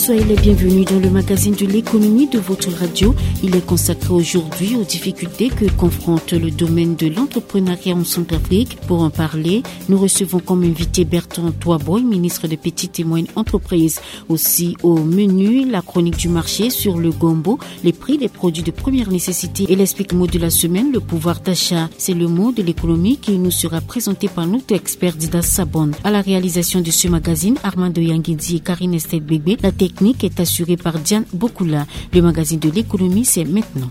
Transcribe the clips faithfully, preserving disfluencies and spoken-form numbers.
Soyez les bienvenus dans le magazine de l'économie de votre radio. Il est consacré aujourd'hui aux difficultés que confronte le domaine de l'entrepreneuriat en Centrafrique. Pour en parler, nous recevons comme invité Bertrand Toiboy, ministre des Petites et Moyennes Entreprises. Aussi au menu, la chronique du marché sur le gombo, les prix des produits de première nécessité et l'explique mot de la semaine, le pouvoir d'achat. C'est le mot de l'économie qui nous sera présenté par notre expert Dida Sabon. À la réalisation de ce magazine, Armando Yangidi et Karine Estelle Bébé. La technique est assurée par Diane Bokula. Le magazine de l'économie, c'est maintenant.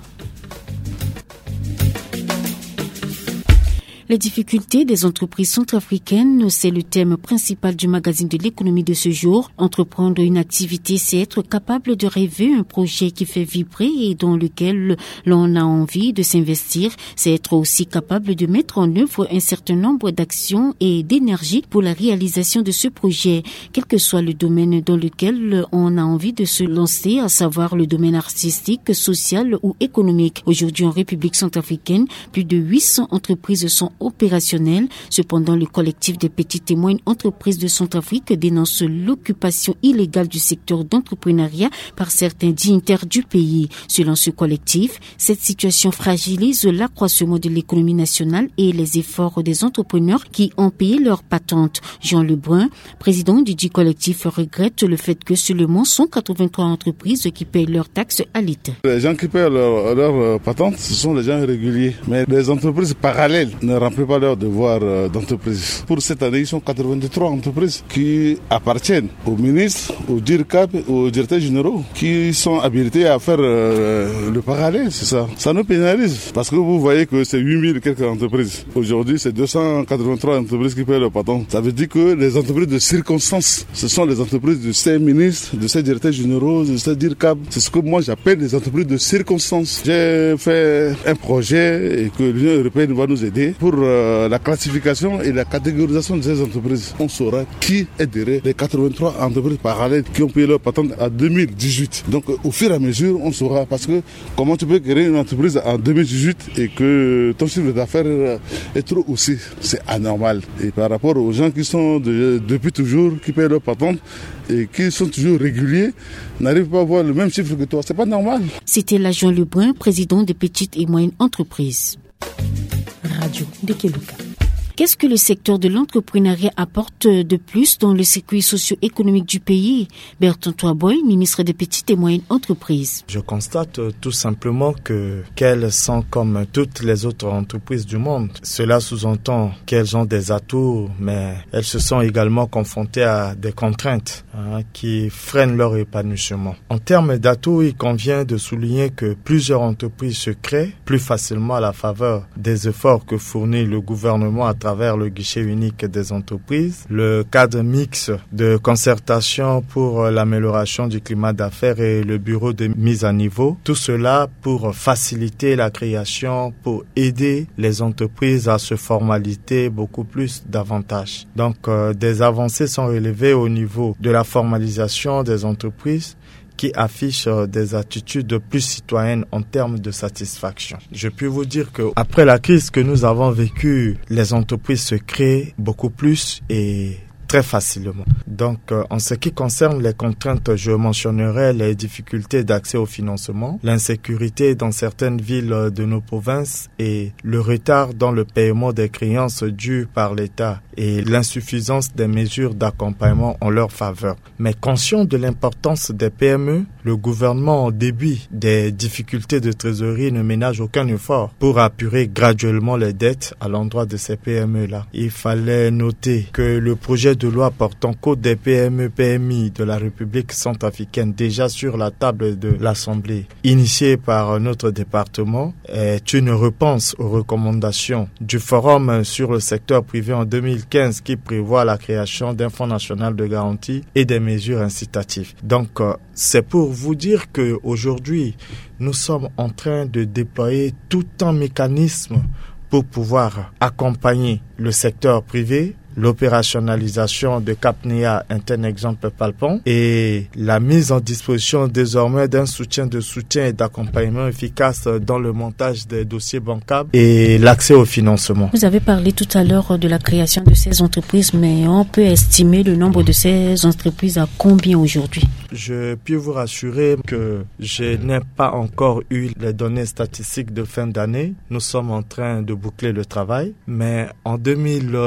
Les difficultés des entreprises centrafricaines, c'est le thème principal du magazine de l'économie de ce jour. Entreprendre une activité, c'est être capable de rêver un projet qui fait vibrer et dans lequel l'on a envie de s'investir. C'est être aussi capable de mettre en œuvre un certain nombre d'actions et d'énergie pour la réalisation de ce projet. Quel que soit le domaine dans lequel on a envie de se lancer, à savoir le domaine artistique, social ou économique. Aujourd'hui en République centrafricaine, plus de huit cents entreprises sont opérationnelles. Cependant, le collectif des petites et moyennes entreprises de Centrafrique dénonce l'occupation illégale du secteur d'entrepreneuriat par certains dignitaires du pays. Selon ce collectif, cette situation fragilise l'accroissement de l'économie nationale et les efforts des entrepreneurs qui ont payé leur patente. Jean Lebrun, président du dit collectif, regrette le fait que seulement cent quatre-vingt-trois entreprises qui payent leurs taxes à l'État. Les gens qui payent leur, leur, euh, patente, ce sont les gens réguliers. Mais les entreprises parallèles ne remplissent pas leur devoir, euh, d'entreprise. Pour cette année, ils sont quatre-vingt-trois entreprises qui appartiennent au ministre, au DIRCAP, aux directeurs généraux, qui sont habilités à faire, euh, le parallèle, c'est ça. Ça nous pénalise parce que vous voyez que c'est huit mille quelques entreprises. Aujourd'hui, c'est deux cent quatre-vingt-trois entreprises qui payent leur patente. Ça veut dire que les entreprises de circonstance, ce sont les entreprises de ces ministres, de ces directeurs généraux, de ces DIRCAP. C'est ce que moi j'appelle les entreprises de circonstance. J'ai fait un projet et que l'Union européenne va nous aider pour, euh, la classification et la catégorisation de ces entreprises. On saura qui est derrière les quatre-vingt-trois entreprises parallèles qui ont payé leur patente en deux mille dix-huit. Donc, euh, au fur et à mesure, on saura parce que comment tu peux créer une entreprise en deux mille dix-huit et que ton chiffre d'affaires, euh, est trop haussé ? C'est anormal. Et par rapport aux gens qui sont de- depuis toujours, qui payent leur patente et qui sont toujours réguliers, n'arrivent pas à avoir le même chiffre que toi. C'est pas normal. C'était là Jean Lebrun, président des petites et moyennes entreprises. Radio Dekeluka. Qu'est-ce que le secteur de l'entrepreneuriat apporte de plus dans le circuit socio-économique du pays ? Bertrand Toiboy, ministre des petites et moyennes entreprises. Je constate, euh, tout simplement que qu'elles sont comme toutes les autres entreprises du monde. Cela sous-entend qu'elles ont des atouts, mais elles se sont également confrontées à des contraintes, hein, qui freinent leur épanouissement. En termes d'atouts, il convient de souligner que plusieurs entreprises se créent plus facilement à la faveur des efforts que fournit le gouvernement à travers le guichet unique des entreprises, le cadre mixte de concertation pour, euh, l'amélioration du climat d'affaires et le bureau de mise à niveau. Tout cela pour faciliter la création, pour aider les entreprises à se formaliser beaucoup plus davantage. Donc, euh, des avancées sont relevées au niveau de la formalisation des entreprises qui affichent, euh, des attitudes plus citoyennes en termes de satisfaction. Je puis vous dire que après la crise que nous avons vécue, les entreprises se créent beaucoup plus et très facilement. Donc, euh, en ce qui concerne les contraintes, je mentionnerai les difficultés d'accès au financement, l'insécurité dans certaines villes, euh, de nos provinces et le retard dans le paiement des créances dues par l'État et l'insuffisance des mesures d'accompagnement en leur faveur. Mais conscient de l'importance des P M E, le gouvernement, en début des difficultés de trésorerie, ne ménage aucun effort pour apurer graduellement les dettes à l'endroit de ces P M E-là. Il fallait noter que le projet de loi portant code des P M E P M I de la République centrafricaine, déjà sur la table de l'Assemblée, initié par notre département, est une réponse aux recommandations du Forum sur le secteur privé en deux mille quinze, qui prévoit la création d'un fonds national de garantie et des mesures incitatives. Donc, euh, c'est pour vous dire que aujourd'hui, nous sommes en train de déployer tout un mécanisme pour pouvoir accompagner le secteur privé. L'opérationnalisation de Capnia est un exemple palpant et la mise en disposition désormais d'un soutien de soutien et d'accompagnement efficace dans le montage des dossiers bancables et l'accès au financement. Vous avez parlé tout à l'heure de la création de ces entreprises, mais on peut estimer le nombre de ces entreprises à combien aujourd'hui ? Je puis vous rassurer que je n'ai pas encore eu les données statistiques de fin d'année. Nous sommes en train de boucler le travail. Mais en deux mille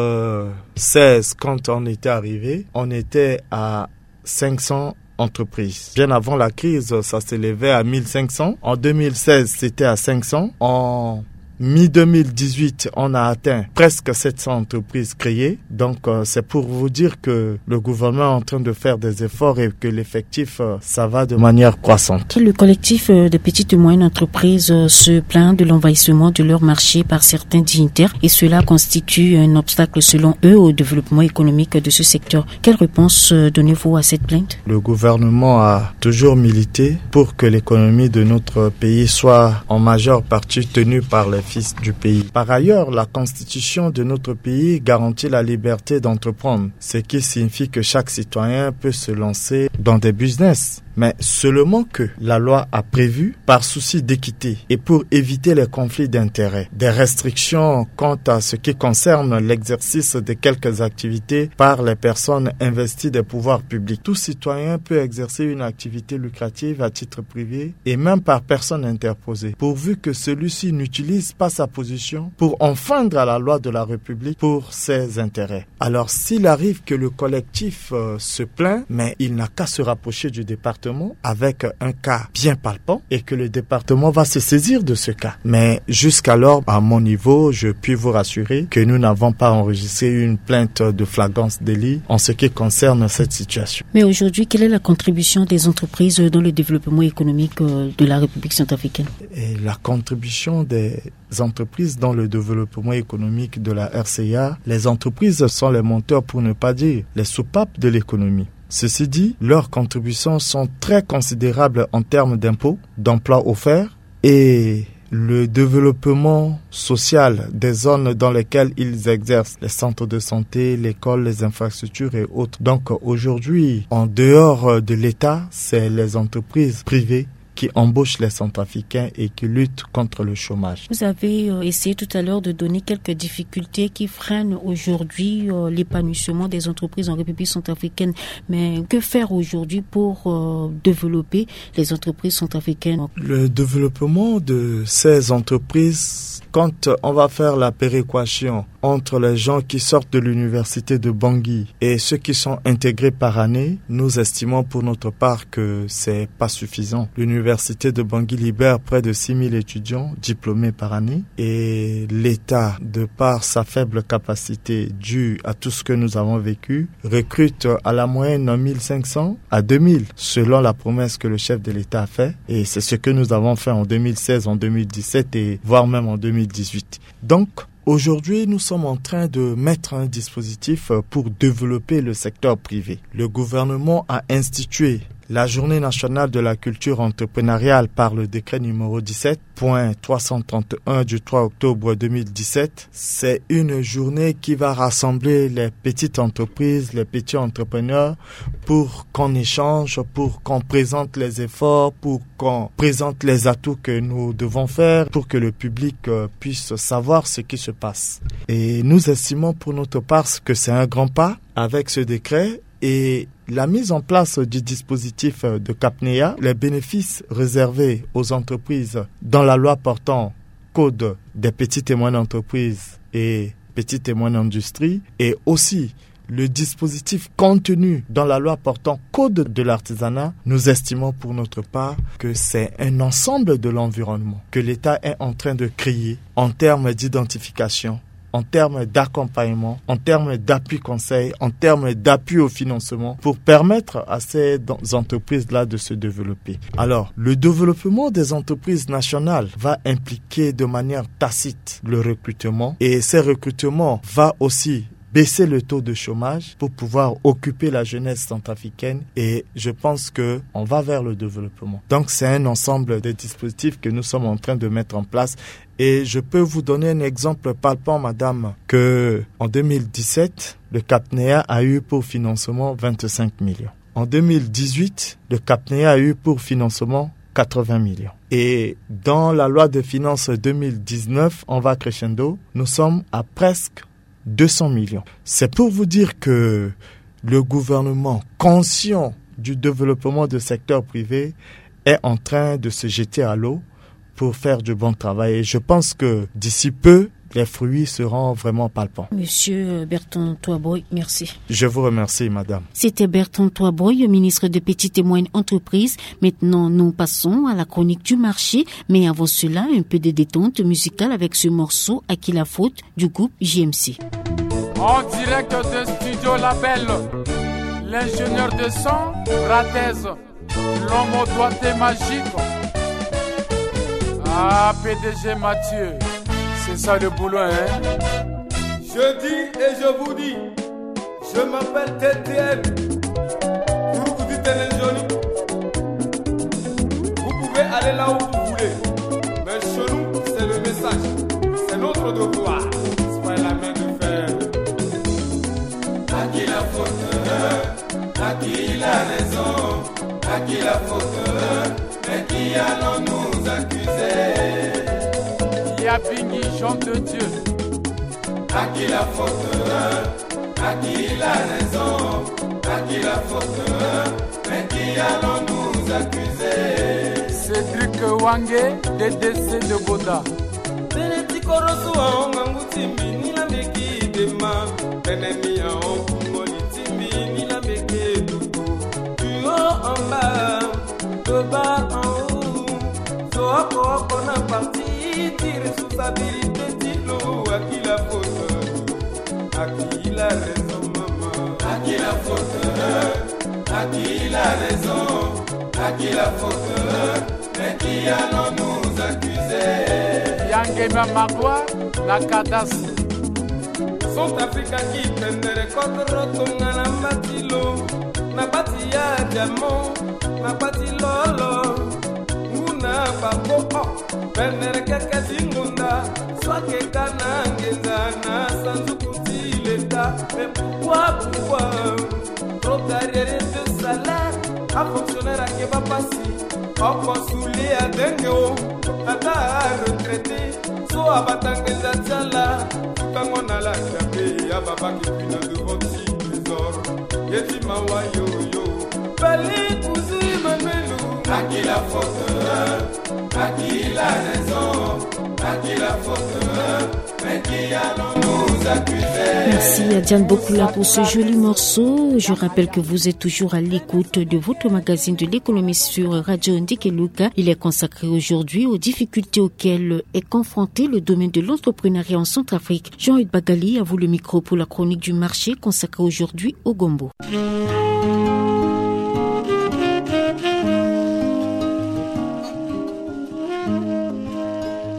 seize, quand on était arrivé, on était à cinq cents entreprises. Bien avant la crise, ça s'élevait à mille cinq cents. En deux mille seize, c'était à cinq cents. En mi-deux mille dix-huit, on a atteint presque sept cents entreprises créées. Donc, euh, c'est pour vous dire que le gouvernement est en train de faire des efforts et que l'effectif, euh, ça va de manière croissante. Le collectif, euh, des petites et moyennes entreprises, euh, se plaint de l'envahissement de leur marché par certains dignitaires et cela constitue un obstacle, selon eux, au développement économique de ce secteur. Quelle réponse, euh, donnez-vous à cette plainte ? Le gouvernement a toujours milité pour que l'économie de notre pays soit en majeure partie tenue par les fils du pays. Par ailleurs, la constitution de notre pays garantit la liberté d'entreprendre, ce qui signifie que chaque citoyen peut se lancer dans des business. Mais seulement que la loi a prévu, par souci d'équité et pour éviter les conflits d'intérêts, des restrictions quant à ce qui concerne l'exercice de quelques activités par les personnes investies des pouvoirs publics. Tout citoyen peut exercer une activité lucrative à titre privé et même par personne interposée, pourvu que celui-ci n'utilise pas sa position pour enfreindre à la loi de la République pour ses intérêts. Alors, s'il arrive que le collectif, euh, se plaint, mais il n'a qu'à se rapprocher du département avec un cas bien palpant et que le département va se saisir de ce cas. Mais jusqu'alors, à mon niveau, je puis vous rassurer que nous n'avons pas enregistré une plainte de flagrance délit en ce qui concerne cette situation. Mais aujourd'hui, quelle est la contribution des entreprises dans le développement économique, euh, de la République centrafricaine ? Et la contribution des entreprises dans le développement économique de la R C A, les entreprises sont les moteurs, pour ne pas dire les soupapes de l'économie. Ceci dit, leur contributions sont très considérables en termes d'impôts, d'emplois offerts et le développement social des zones dans lesquelles ils exercent, les centres de santé, l'école, les infrastructures et autres. Donc aujourd'hui, en dehors de l'État, c'est les entreprises privées qui embauchent les Centrafricains et qui luttent contre le chômage. Vous avez, euh, essayé tout à l'heure de donner quelques difficultés qui freinent aujourd'hui, euh, l'épanouissement des entreprises en République centrafricaine. Mais que faire aujourd'hui pour, euh, développer les entreprises centrafricaines ? Le développement de ces entreprises, quand on va faire la péréquation entre les gens qui sortent de l'université de Bangui et ceux qui sont intégrés par année, nous estimons pour notre part que c'est pas suffisant. L'université de Bangui libère près de six mille étudiants diplômés par année et l'État, de par sa faible capacité due à tout ce que nous avons vécu, recrute à la moyenne mille cinq cents à deux mille, selon la promesse que le chef de l'État a fait. Et c'est ce que nous avons fait en deux mille seize, en deux mille dix-sept et voire même en deux mille dix-huit. Donc, aujourd'hui, nous sommes en train de mettre un dispositif, euh, pour développer le secteur privé. Le gouvernement a institué la journée nationale de la culture entrepreneuriale par le décret numéro dix-sept, point trois cent trente et un du trois octobre deux mille dix-sept. C'est une journée qui va rassembler les petites entreprises, les petits entrepreneurs, pour qu'on échange, pour qu'on présente les efforts, pour qu'on présente les atouts que nous devons faire, pour que le public, euh, puisse savoir ce qui se passe. Et nous estimons pour notre part que c'est un grand pas avec ce décret et la mise en place du dispositif de CAPNEA, les bénéfices réservés aux entreprises dans la loi portant Code des petites et moyennes entreprises et petites et moyennes industries, et aussi le dispositif contenu dans la loi portant Code de l'artisanat, nous estimons pour notre part que c'est un ensemble de l'environnement que l'État est en train de créer en termes d'identification, en termes d'accompagnement, en termes d'appui conseil, en termes d'appui au financement pour permettre à ces entreprises-là de se développer. Alors, le développement des entreprises nationales va impliquer de manière tacite le recrutement et ces recrutements va aussi baisser le taux de chômage pour pouvoir occuper la jeunesse centrafricaine et je pense que on va vers le développement. Donc c'est un ensemble de dispositifs que nous sommes en train de mettre en place et je peux vous donner un exemple palpant, madame, que en deux mille dix-sept, le CAPNEA a eu pour financement vingt-cinq millions. En deux mille dix-huit, le CAPNEA a eu pour financement quatre-vingts millions. Et dans la loi de finances deux mille dix-neuf, on va crescendo, nous sommes à presque deux cents millions. C'est pour vous dire que le gouvernement, conscient du développement du secteur privé est en train de se jeter à l'eau pour faire du bon travail. Et je pense que d'ici peu, les fruits seront vraiment palpants. Monsieur Bertrand Toiboy, merci. Je vous remercie, madame. C'était Bertrand Toiboy, ministre de Petites et Moyennes Entreprises. Maintenant, nous passons à la chronique du marché. Mais avant cela, un peu de détente musicale avec ce morceau, À qui la faute, du groupe J M C. En direct de Studio Label, l'ingénieur de son, Ratez, l'homme au doigté magique. Ah, P D G Mathieu, c'est ça le boulot, hein? Je dis et je vous dis, je m'appelle T T M. Vous, vous dites les jolis. Vous pouvez aller là où vous voulez. Mais chez nous, c'est le message. C'est notre devoir. C'est pas la main de fer. À qui la faute? À qui la raison? À qui la faute? Mais qui allons-nous accuser? Yabingi, Jean de Dieu. À qui la faute? À qui la raison? À qui la faute? Mais qui allons-nous accuser? Cédric Wange, D D C de Boda. Tene ti korosu aonga ngu ti mbi ni la meki dema. Tene mi aon kungo li ti mbi ni la meki duku. Du haut en bas, de bas en haut. So oko oko na parti ti responsabilité ti lo, à qui la faute? À qui la raison, maman? À qui la faute? À qui la raison? À qui la faute? Mais qui allons-nous accuser? Yangema Magua na Kadas. Centrafrique aki pendere kodro tonga na mbati lo, na bati ya diamant, na bati lolo, nguna babo, oh, pendere keke ti ngonda, so ake ka na ngenza na sanduku ti leta. Mais pourquoi, pourquoi? Trop d'arriérés de salaire, a fonctionnaire ake ba pasi. Oko suli adenge o, ata a retraité. So abata ngenza ti ala, futango na la chape, ababa ki pina devant ti trésor. Ye ti mawa yo yo, pali kuzi mamelu. À qui la faute? À qui la raison? À qui la faute? Merci à Diane Bokula pour ce joli morceau. Je rappelle que vous êtes toujours à l'écoute de votre magazine de l'économie sur Radio Ndikeluka. Il est consacré aujourd'hui aux difficultés auxquelles est confronté le domaine de l'entrepreneuriat en Centrafrique. Jean-Hugues Bagali, à vous le micro pour la chronique du marché consacrée aujourd'hui au gombo.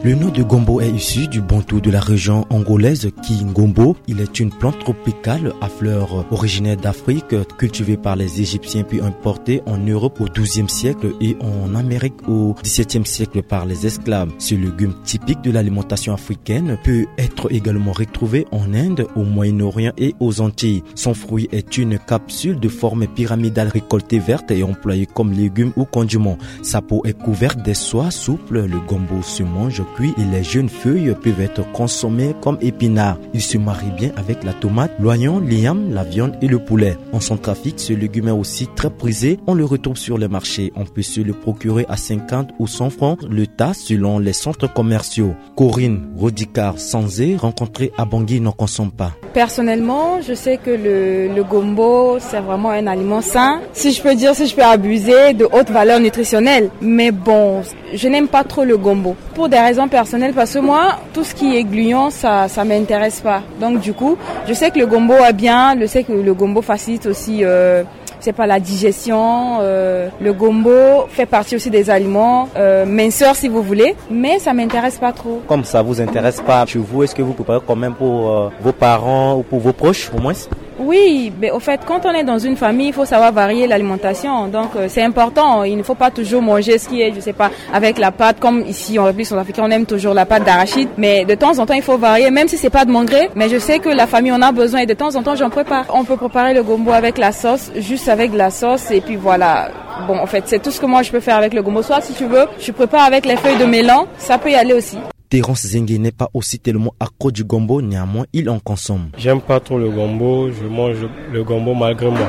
Le nom de gombo est issu du bantou de la région angolaise Kingombo. Il est une plante tropicale à fleurs originaire d'Afrique, cultivée par les Égyptiens puis importée en Europe au douzième siècle et en Amérique au dix-septième siècle par les esclaves. Ce légume typique de l'alimentation africaine peut être également retrouvé en Inde, au Moyen-Orient et aux Antilles. Son fruit est une capsule de forme pyramidale récoltée verte et employée comme légume ou condiment. Sa peau est couverte de soie souple, le gombo se mange cuit et les jeunes feuilles peuvent être consommées comme épinards. Il se marie bien avec la tomate, l'oignon, l'igname, la viande et le poulet. En Centrafrique, ce légume est aussi très prisé. On le retrouve sur les marchés. On peut se le procurer à cinquante ou cent francs le tas selon les centres commerciaux. Corinne Rodicard Sanzé, rencontrée à Bangui, n'en consomme pas. Personnellement, je sais que le, le gombo, c'est vraiment un aliment sain. Si je peux dire, si je peux abuser de hautes valeurs nutritionnelles. Mais bon, je n'aime pas trop le gombo. Pour des raisons personnelles, parce que moi, tout ce qui est gluant, ça, ça m'intéresse pas. Donc du coup, je sais que le gombo est bien, je sais que le gombo facilite aussi, euh, c'est pas la digestion. Euh, le gombo fait partie aussi des aliments euh, minceurs, si vous voulez, mais ça m'intéresse pas trop. Comme ça vous intéresse pas, chez vous, est-ce que vous préparez quand même pour euh, vos parents ou pour vos proches, au moins? Oui, mais au fait, quand on est dans une famille, il faut savoir varier l'alimentation. Donc, euh, c'est important. Il ne faut pas toujours manger ce qui est, je sais pas, avec la pâte. Comme ici, en République centrafricaine, on aime toujours la pâte d'arachide. Mais de temps en temps, il faut varier, même si c'est pas de mon gré. Mais je sais que la famille, on a besoin et de temps en temps, j'en prépare. On peut préparer le gombo avec la sauce, juste avec de la sauce. Et puis voilà. Bon, en fait, c'est tout ce que moi, je peux faire avec le gombo. Soit, si tu veux, je prépare avec les feuilles de melon. Ça peut y aller aussi. Terence Zengue n'est pas aussi tellement accro du gombo, néanmoins il en consomme. J'aime pas trop le gombo, je mange le gombo malgré moi.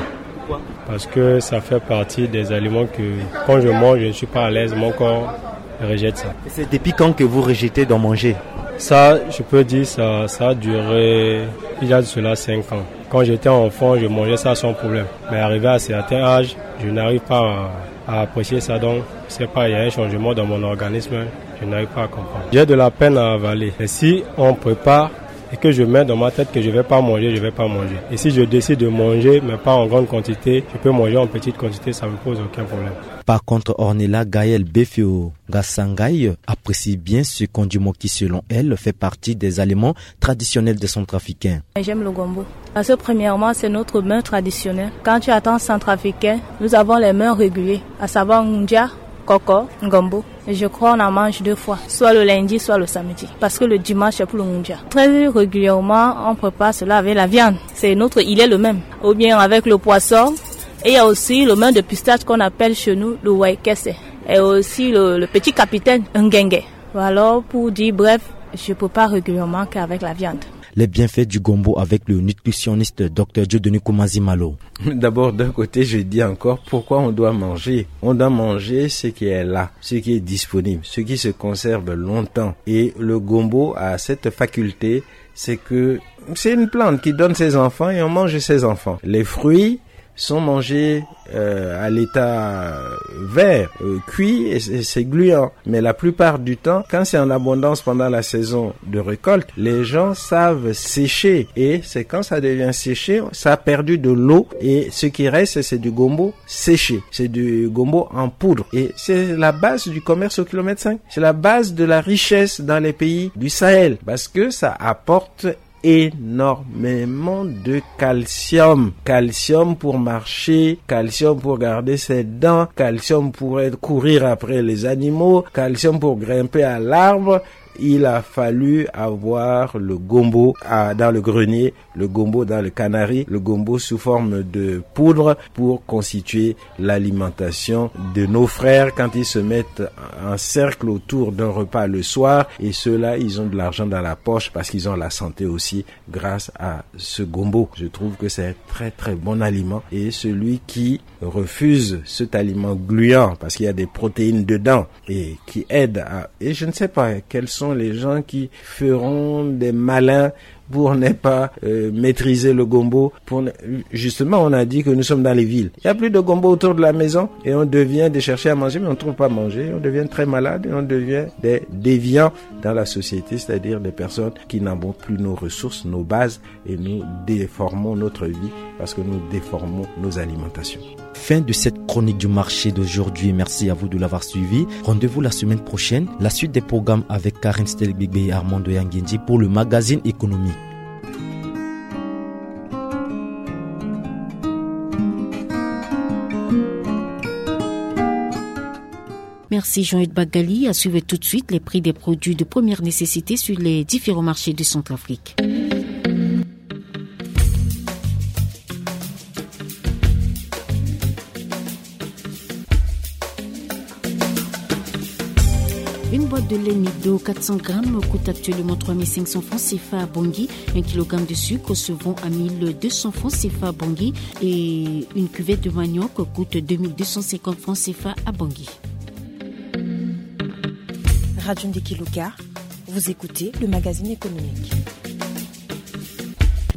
Parce que ça fait partie des aliments que, quand je mange, je ne suis pas à l'aise, mon corps rejette ça. Et c'est depuis quand que vous rejetez d'en manger ? Ça, je peux dire, ça, ça a duré, il y a de cela cinq ans. Quand j'étais enfant, je mangeais ça sans problème. Mais arrivé à un certain âge, je n'arrive pas à, à apprécier ça. Donc, je sais pas, il y a un changement dans mon organisme, je n'arrive pas à comprendre. J'ai de la peine à avaler. Et si on prépare et que je mets dans ma tête que je vais pas manger, je vais pas manger. Et si je décide de manger, mais pas en grande quantité, je peux manger en petite quantité, ça me pose aucun problème. Par contre, Ornella Gaël Befio Gassangaï apprécie bien ce condiment qui, selon elle, fait partie des aliments traditionnels des Centrafricains. J'aime le gombo. Parce que premièrement, c'est notre mets traditionnel. Quand tu attends centrafricain, nous avons les mets réguliers, à savoir ngundia, koko, gombo. Et je crois on en mange deux fois, soit le lundi, soit le samedi. Parce que le dimanche, c'est pour le ngundia. Très régulièrement, on prépare cela avec la viande. C'est notre, il est le même. Ou bien avec le poisson. Et il y a aussi le mets de pistache qu'on appelle chez nous le waikese. Et aussi le, le petit capitaine, ngenge. Alors, pour dire bref, je prépare régulièrement qu'avec la viande. Les bienfaits du gombo avec le nutritionniste Dr Dieudonné Koumazimalo. D'abord, d'un côté, je dis encore pourquoi on doit manger. On doit manger ce qui est là, ce qui est disponible, ce qui se conserve longtemps. Et le gombo a cette faculté, c'est que c'est une plante qui donne ses enfants et on mange ses enfants. Les fruits sont mangés euh, à l'état vert, euh, cuit, et c'est gluant. Mais la plupart du temps, quand c'est en abondance pendant la saison de récolte, les gens savent sécher. Et c'est quand ça devient séché, ça a perdu de l'eau. Et ce qui reste, c'est du gombo séché. C'est du gombo en poudre. Et c'est la base du commerce au kilomètre cinq. C'est la base de la richesse dans les pays du Sahel. Parce que ça apporte énormément de calcium. Calcium pour marcher, calcium pour garder ses dents, calcium pour être, courir après les animaux, calcium pour grimper à l'arbre. Il a fallu avoir le gombo à, dans le grenier, le gombo dans le canari, le gombo sous forme de poudre pour constituer l'alimentation de nos frères quand ils se mettent en cercle autour d'un repas le soir. Et ceux-là, ils ont de l'argent dans la poche parce qu'ils ont la santé aussi grâce à ce gombo. Je trouve que c'est un très très bon aliment. Et celui qui refuse cet aliment gluant parce qu'il y a des protéines dedans et qui aide à... Et je ne sais pas quels sont les gens qui feront des malins pour ne pas euh, maîtriser le gombo. Pour ne- Justement, on a dit que nous sommes dans les villes. Il n'y a plus de gombo autour de la maison et on devient de chercher à manger, mais on ne trouve pas à manger. On devient très malade et on devient des déviants dans la société, c'est-à-dire des personnes qui n'avons plus nos ressources, nos bases, et nous déformons notre vie parce que nous déformons nos alimentations. Fin de cette chronique du marché d'aujourd'hui. Merci à vous de l'avoir suivi. Rendez-vous la semaine prochaine. La suite des programmes avec Karine Stelbigbe et Armando Yangendi pour le magazine Économie. Merci Jean-Ed Bagali. À suivre tout de suite les prix des produits de première nécessité sur les différents marchés de Centrafrique. Une boîte de lait Nido quatre cents grammes coûte actuellement trois mille cinq cents francs C F A à Bangui. Un kilogramme de sucre se vend à mille deux cents francs C F A à Bangui. Et une cuvette de manioc coûte deux mille deux cent cinquante francs C F A à Bangui. Radio Ndeki Luka, vous écoutez le magazine économique.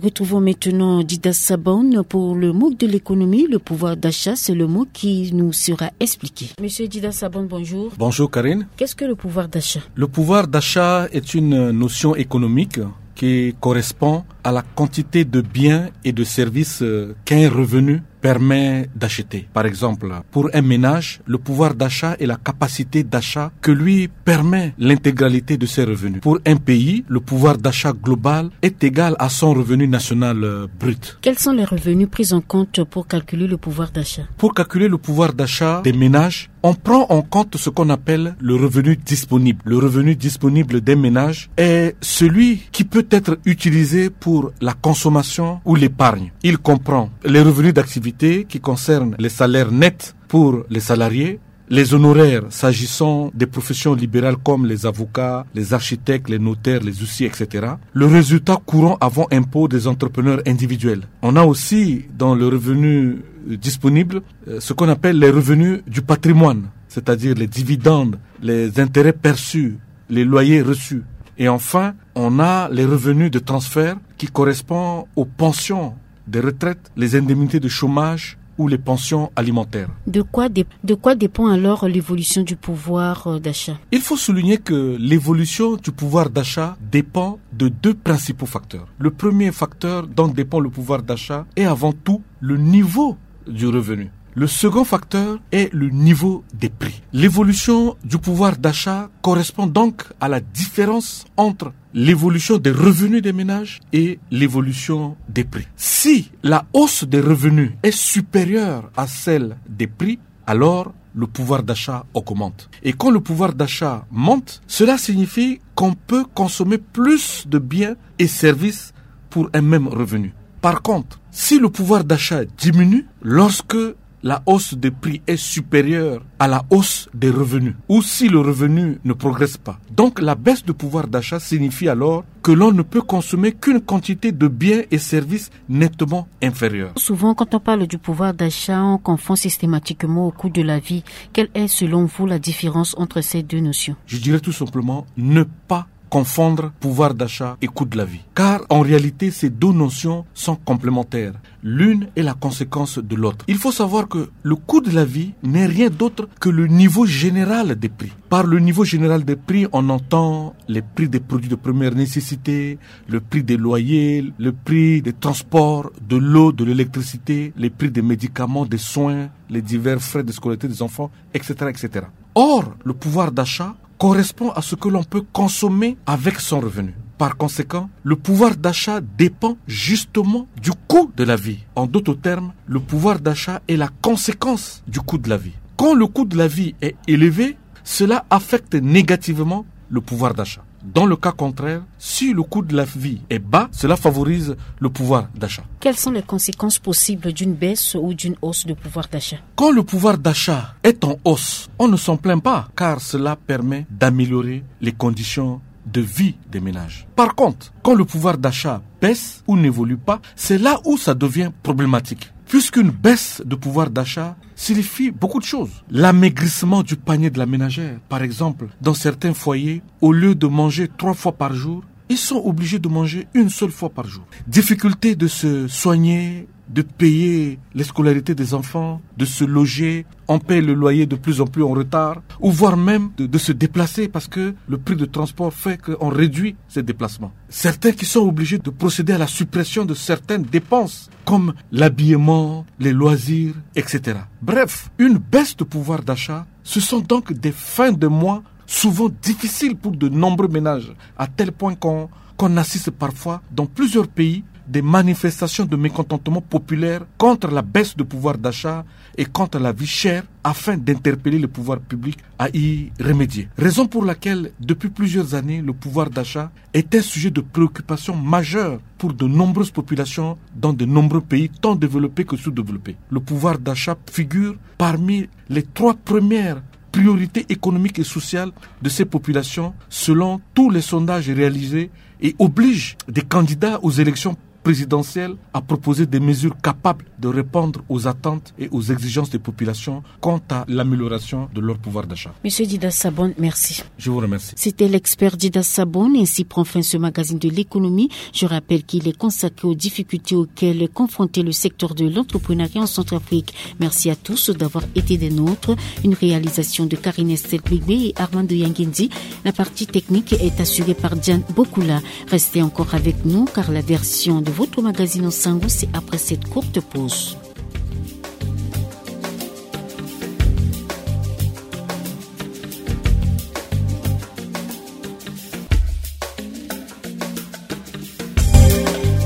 Retrouvons maintenant Dida Sabon pour le mot de l'économie. Le pouvoir d'achat, c'est le mot qui nous sera expliqué. Monsieur Dida Sabon, bonjour. Bonjour Karine. Qu'est-ce que le pouvoir d'achat ? Le pouvoir d'achat est une notion économique qui correspond à la quantité de biens et de services euh, qu'un revenu permet d'acheter. Par exemple, pour un ménage, le pouvoir d'achat est la capacité d'achat que lui permet l'intégralité de ses revenus. Pour un pays, le pouvoir d'achat global est égal à son revenu national euh, brut. Quels sont les revenus pris en compte pour calculer le pouvoir d'achat ? Pour calculer le pouvoir d'achat des ménages, on prend en compte ce qu'on appelle le revenu disponible. Le revenu disponible des ménages est celui qui peut être utilisé pour la consommation ou l'épargne. Il comprend les revenus d'activité qui concernent les salaires nets pour les salariés, les honoraires s'agissant des professions libérales comme les avocats, les architectes, les notaires, les huissiers, et cetera. Le résultat courant avant impôt des entrepreneurs individuels. On a aussi dans le revenu, euh, disponible, euh, ce qu'on appelle les revenus du patrimoine, c'est-à-dire les dividendes, les intérêts perçus, les loyers reçus. Et enfin, on a les revenus de transfert qui correspondent aux pensions de retraite, les indemnités de chômage ou les pensions alimentaires. De quoi, dé- de quoi dépend alors l'évolution du pouvoir, euh, d'achat ? Il faut souligner que l'évolution du pouvoir d'achat dépend de deux principaux facteurs. Le premier facteur dont dépend le pouvoir d'achat est avant tout le niveau du revenu. Le second facteur est le niveau des prix. L'évolution du pouvoir d'achat correspond donc à la différence entre l'évolution des revenus des ménages et l'évolution des prix. Si la hausse des revenus est supérieure à celle des prix, alors le pouvoir d'achat augmente. Et quand le pouvoir d'achat monte, cela signifie qu'on peut consommer plus de biens et services pour un même revenu. Par contre, si le pouvoir d'achat diminue lorsque la hausse des prix est supérieure à la hausse des revenus, ou si le revenu ne progresse pas. Donc la baisse de pouvoir d'achat signifie alors que l'on ne peut consommer qu'une quantité de biens et services nettement inférieure. Souvent, quand on parle du pouvoir d'achat, on confond systématiquement au coût de la vie. Quelle est, selon vous, la différence entre ces deux notions ? Je dirais tout simplement ne pas confondre pouvoir d'achat et coût de la vie. Car en réalité, ces deux notions sont complémentaires. L'une est la conséquence de l'autre. Il faut savoir que le coût de la vie n'est rien d'autre que le niveau général des prix. Par le niveau général des prix, on entend les prix des produits de première nécessité, le prix des loyers, le prix des transports, de l'eau, de l'électricité, les prix des médicaments, des soins, les divers frais de scolarité des enfants, et cetera, et cetera. Or, le pouvoir d'achat correspond à ce que l'on peut consommer avec son revenu. Par conséquent, le pouvoir d'achat dépend justement du coût de la vie. En d'autres termes, le pouvoir d'achat est la conséquence du coût de la vie. Quand le coût de la vie est élevé, cela affecte négativement le pouvoir d'achat. Dans le cas contraire, si le coût de la vie est bas, cela favorise le pouvoir d'achat. Quelles sont les conséquences possibles d'une baisse ou d'une hausse de pouvoir d'achat ? Quand le pouvoir d'achat est en hausse, on ne s'en plaint pas, car cela permet d'améliorer les conditions de vie des ménages. Par contre, quand le pouvoir d'achat baisse ou n'évolue pas, c'est là où ça devient problématique. Puisqu'une baisse de pouvoir d'achat signifie beaucoup de choses. L'amaigrissement du panier de la ménagère, par exemple, dans certains foyers, au lieu de manger trois fois par jour, ils sont obligés de manger une seule fois par jour. Difficulté de se soigner, de payer les scolarités des enfants, de se loger. On paye le loyer de plus en plus en retard, ou voire même de, de se déplacer parce que le prix de transport fait qu'on réduit ces déplacements. Certains qui sont obligés de procéder à la suppression de certaines dépenses comme l'habillement, les loisirs, et cetera. Bref, une baisse de pouvoir d'achat, ce sont donc des fins de mois souvent difficiles pour de nombreux ménages, à tel point qu'on qu'on assiste parfois dans plusieurs pays des manifestations de mécontentement populaire contre la baisse de pouvoir d'achat et contre la vie chère afin d'interpeller le pouvoir public à y remédier. Raison pour laquelle, depuis plusieurs années, le pouvoir d'achat est un sujet de préoccupation majeure pour de nombreuses populations dans de nombreux pays, tant développés que sous-développés. Le pouvoir d'achat figure parmi les trois premières priorités économiques et sociales de ces populations, selon tous les sondages réalisés, et oblige des candidats aux élections présidentielles à proposer des mesures capables de répondre aux attentes et aux exigences des populations quant à l'amélioration de leur pouvoir d'achat. Monsieur Dida Sabon, merci. Je vous remercie. C'était l'expert Dida Sabon. Ainsi prend fin ce magazine de l'économie. Je rappelle qu'il est consacré aux difficultés auxquelles est confronté le secteur de l'entrepreneuriat en Centrafrique. Merci à tous d'avoir été des nôtres. Une réalisation de Karine Estelle Bligbe et Armando Yangendi. La partie technique est assurée par Diane Bokula. Restez encore avec nous car la version de votre magazine en sango, c'est après cette courte pause.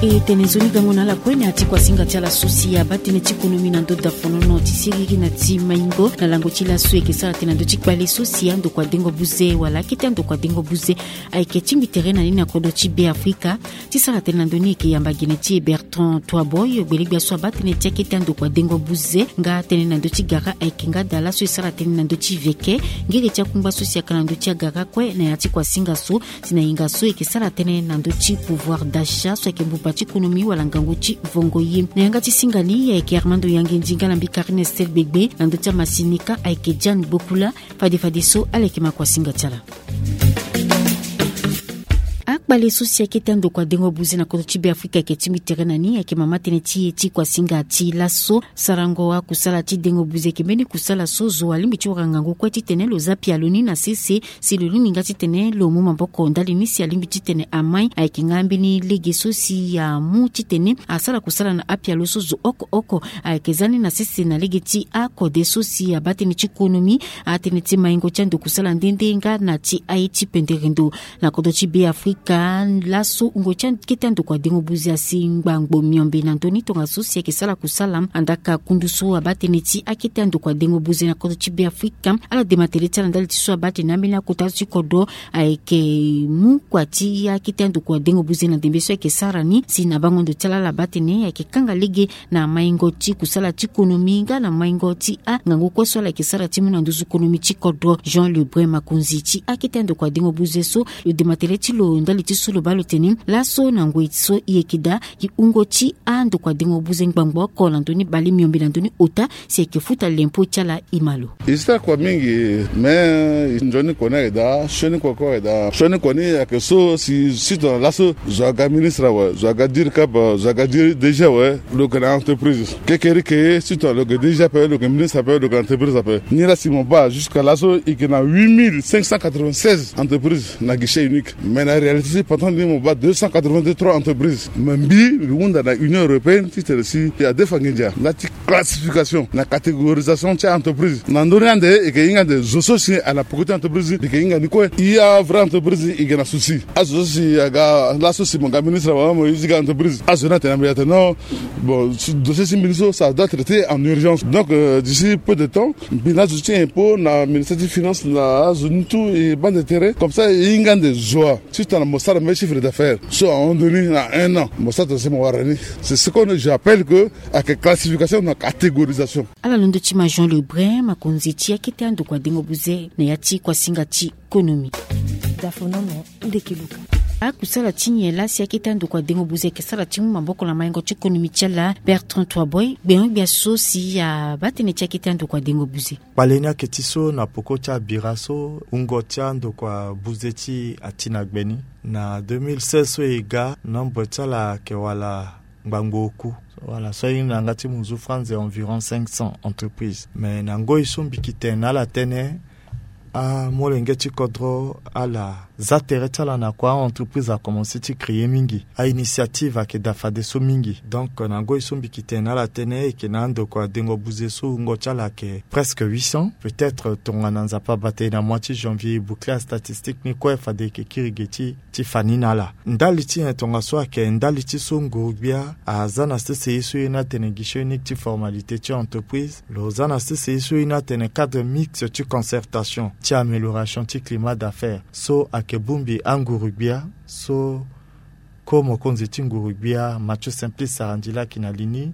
E tene nzoni gango na ala kue na ya ti kuasinga ti ala so si abaa tënë ti konomi na ndö dafonono ti siriri na ti maingo na lango ti laso eke sara tënë na ndö ti kpale so si andokua dengo buze wala akete andokua dengo buze ayeke tingbi tere na ni na kodro ti Be Afrika. Ti sara tënë na ndö ni eke yamba gene ti e Bertrand Toiboy, gbelegbia so abaa tënë ti akete andokua dengo buze nga tënë na ndö ti gara ayeke nga daa laso e sara tënë na ndö ti veke ngere ti akungba so si aka na ndö ti agara kue na ya ti kuasinga so. Si na hinga so eke sara tënë na ndö ti pouvoir d'achat so ayeke mbuba ti konomi wala ngangu ti vongo ye. Na yanga ti singa ni ayeke Armando Yangendi nga na mbi Karine Estel Gbegbe, na ndö ti amasinika ayeke Diane Gbokula. Fade fadeso ala yeke ma kuasinga ti ala. Akpale so si akete andokua dengo buze na kodro ti Be Afrika ayeke tingbi tere na ni ayeke mama tënë ti e ti kuasinga ti laso. Sarango akusala ti dengo buze ayeke mbeni kusala so zo alingbi ti wara ngangu kue titene lo za pialo ni na sese. Si lo lingbi nga titene lo mu maboko ndali ni si alingbi titene amai ayeke nga mbeni lege so si amu titene asara kusala na apialo so zo oko oko ayeke za ni na sese na lege ti akode so si abaa tënë ti konomi, atënë ti maingo ti ando kusala nde nde nga na ti aye ti pendere ndo. Na kodro ti Be Afrika laso wungo ti akete andokua dengo buze asi ngbangbo miombe na ndö ni tongaso si ayeke sara kusala. Andaka kundu so abaa tënë ti akete andokua dengo buze na kodro ti Be Afrika, ala dema tere ti ala ndali ti so abaa tene ambeni akota ti kodro ayeke mu kua ti akete andokua dengo buze na ndembe so ayeke sara ni. Si na bango ndo ti ala ala baa tene ayeke kanga lege na maingo ti kusala ti konomi nga na maingo ti angangu kue so ala yeke sara ti mu na nduzu konomi ti kodro. Jean Lebrun, makonzi ti akete andokua dengo buze so, lo dema tere ti lo ndali ti so lo baa lo tene laso na ngoi so e yeke daa, e wungo ti andokua dengo buze ngbangbo oko na ndö ni bale miombe na ndö ni ota si ayeke futa lempo ti ala. E ma lo. E sara kua mingi, me nzoni kua ni ayeke daa, sioni kua kue ayeke daa. Sioni kua ni ayeke so si sito na laso zo aga ministre awe, zo aga dircab, zo aga di- DG awe, lo yeke na entreprise. Kekereke sito na lo yeke DG ape, lo yeke ministre ape, lo yeke na entreprise ape. Ni la si mo baa jusqu'à laso e yeke na huit mille cinq cent quatre-vingt-seize entreprises na guichet unique. Mais na réalité si pendant ni mo baa deux cent quatre-vingt-trois entreprises. Mais mbi mbi hunda na Union européenne titene si e adefa nginza nga ti classification na catégorisation ti entreprise. Na ndö ni ande e yeke hinga ande zo so si ala poko ti entreprise ni, e yeke hinga ni kue. E a vrai entreprise e yeke na souci. Azo so si aga laso si mo ga ministre awe, mo zi ga entreprise, azo ni atene na mbi atene non. Bon, dossier ti mbi ni so ça doit traiter en urgence. Donc euh, d'ici peu de temps mbi na azo ti impôt na ministère ti finance na azo ni tout e bande tere comme ça e hinga ande zo wa. Titene mo sara mbeni chiffre d'affaires so ahon ndö ni na un an mo sara tene si mo wara ni. C'est ce que j'appelle que ayeke classification na catégorisation. Ala londo ti ma Jean Lebrun, makonzi ti akete andokua dengo buze na ya ti kuasinga ti konomi. Dafonono ndeke luka. Akusala ti nyen laa si akete andokua dengo buze ayeke sara ti mu maboko na maingo ti konomi ti ala? Bertrand Toiboy, gbengo-gbia so si abaa tënë ti akete andokua dengo buze. Kpale ni ayeke ti so na poko ti abira so wungo ti andokua buze ti e ati na gbe ni. Na deux mille seize so e ga, nombre ti ala ayeke wala ngbangbo oku. Wala so ahinga na yanga ti munzu franze environ cinq cents entreprises. Mais na ngoi so mbi yeke tene na ala tënë, amolenge ti kodro ala za tere ti ala na kua, a-entreprise akomanse ti créer mingi, a-initiative ayeke daa fadeso mingi. Donc na ngoi so mbi yeke tene na ala tënë e yeke na andokua dengo buze so wungo ti ala ayeke presque huit cents. Peut-être tongana Nzapa abata e na mois ti janvier e boucler astatistique ni kue, fade e yeke kiri ge ti ti fa ni na ala. Ndali ti nyen tongaso ayeke ndali ti so nguru-gbia aza na sese ye so e iri ni atene guichet unique ti formalité ti entreprise. Lo za na sese ye so e iri ni atene cadre mixte ti concertation ti amélioration ti climat d'affaires so ayeke bongbi anguru-gbia so ko mokonzi ti nguru-gbia Mathieu Simplice Sarandji laa ayeke na li ni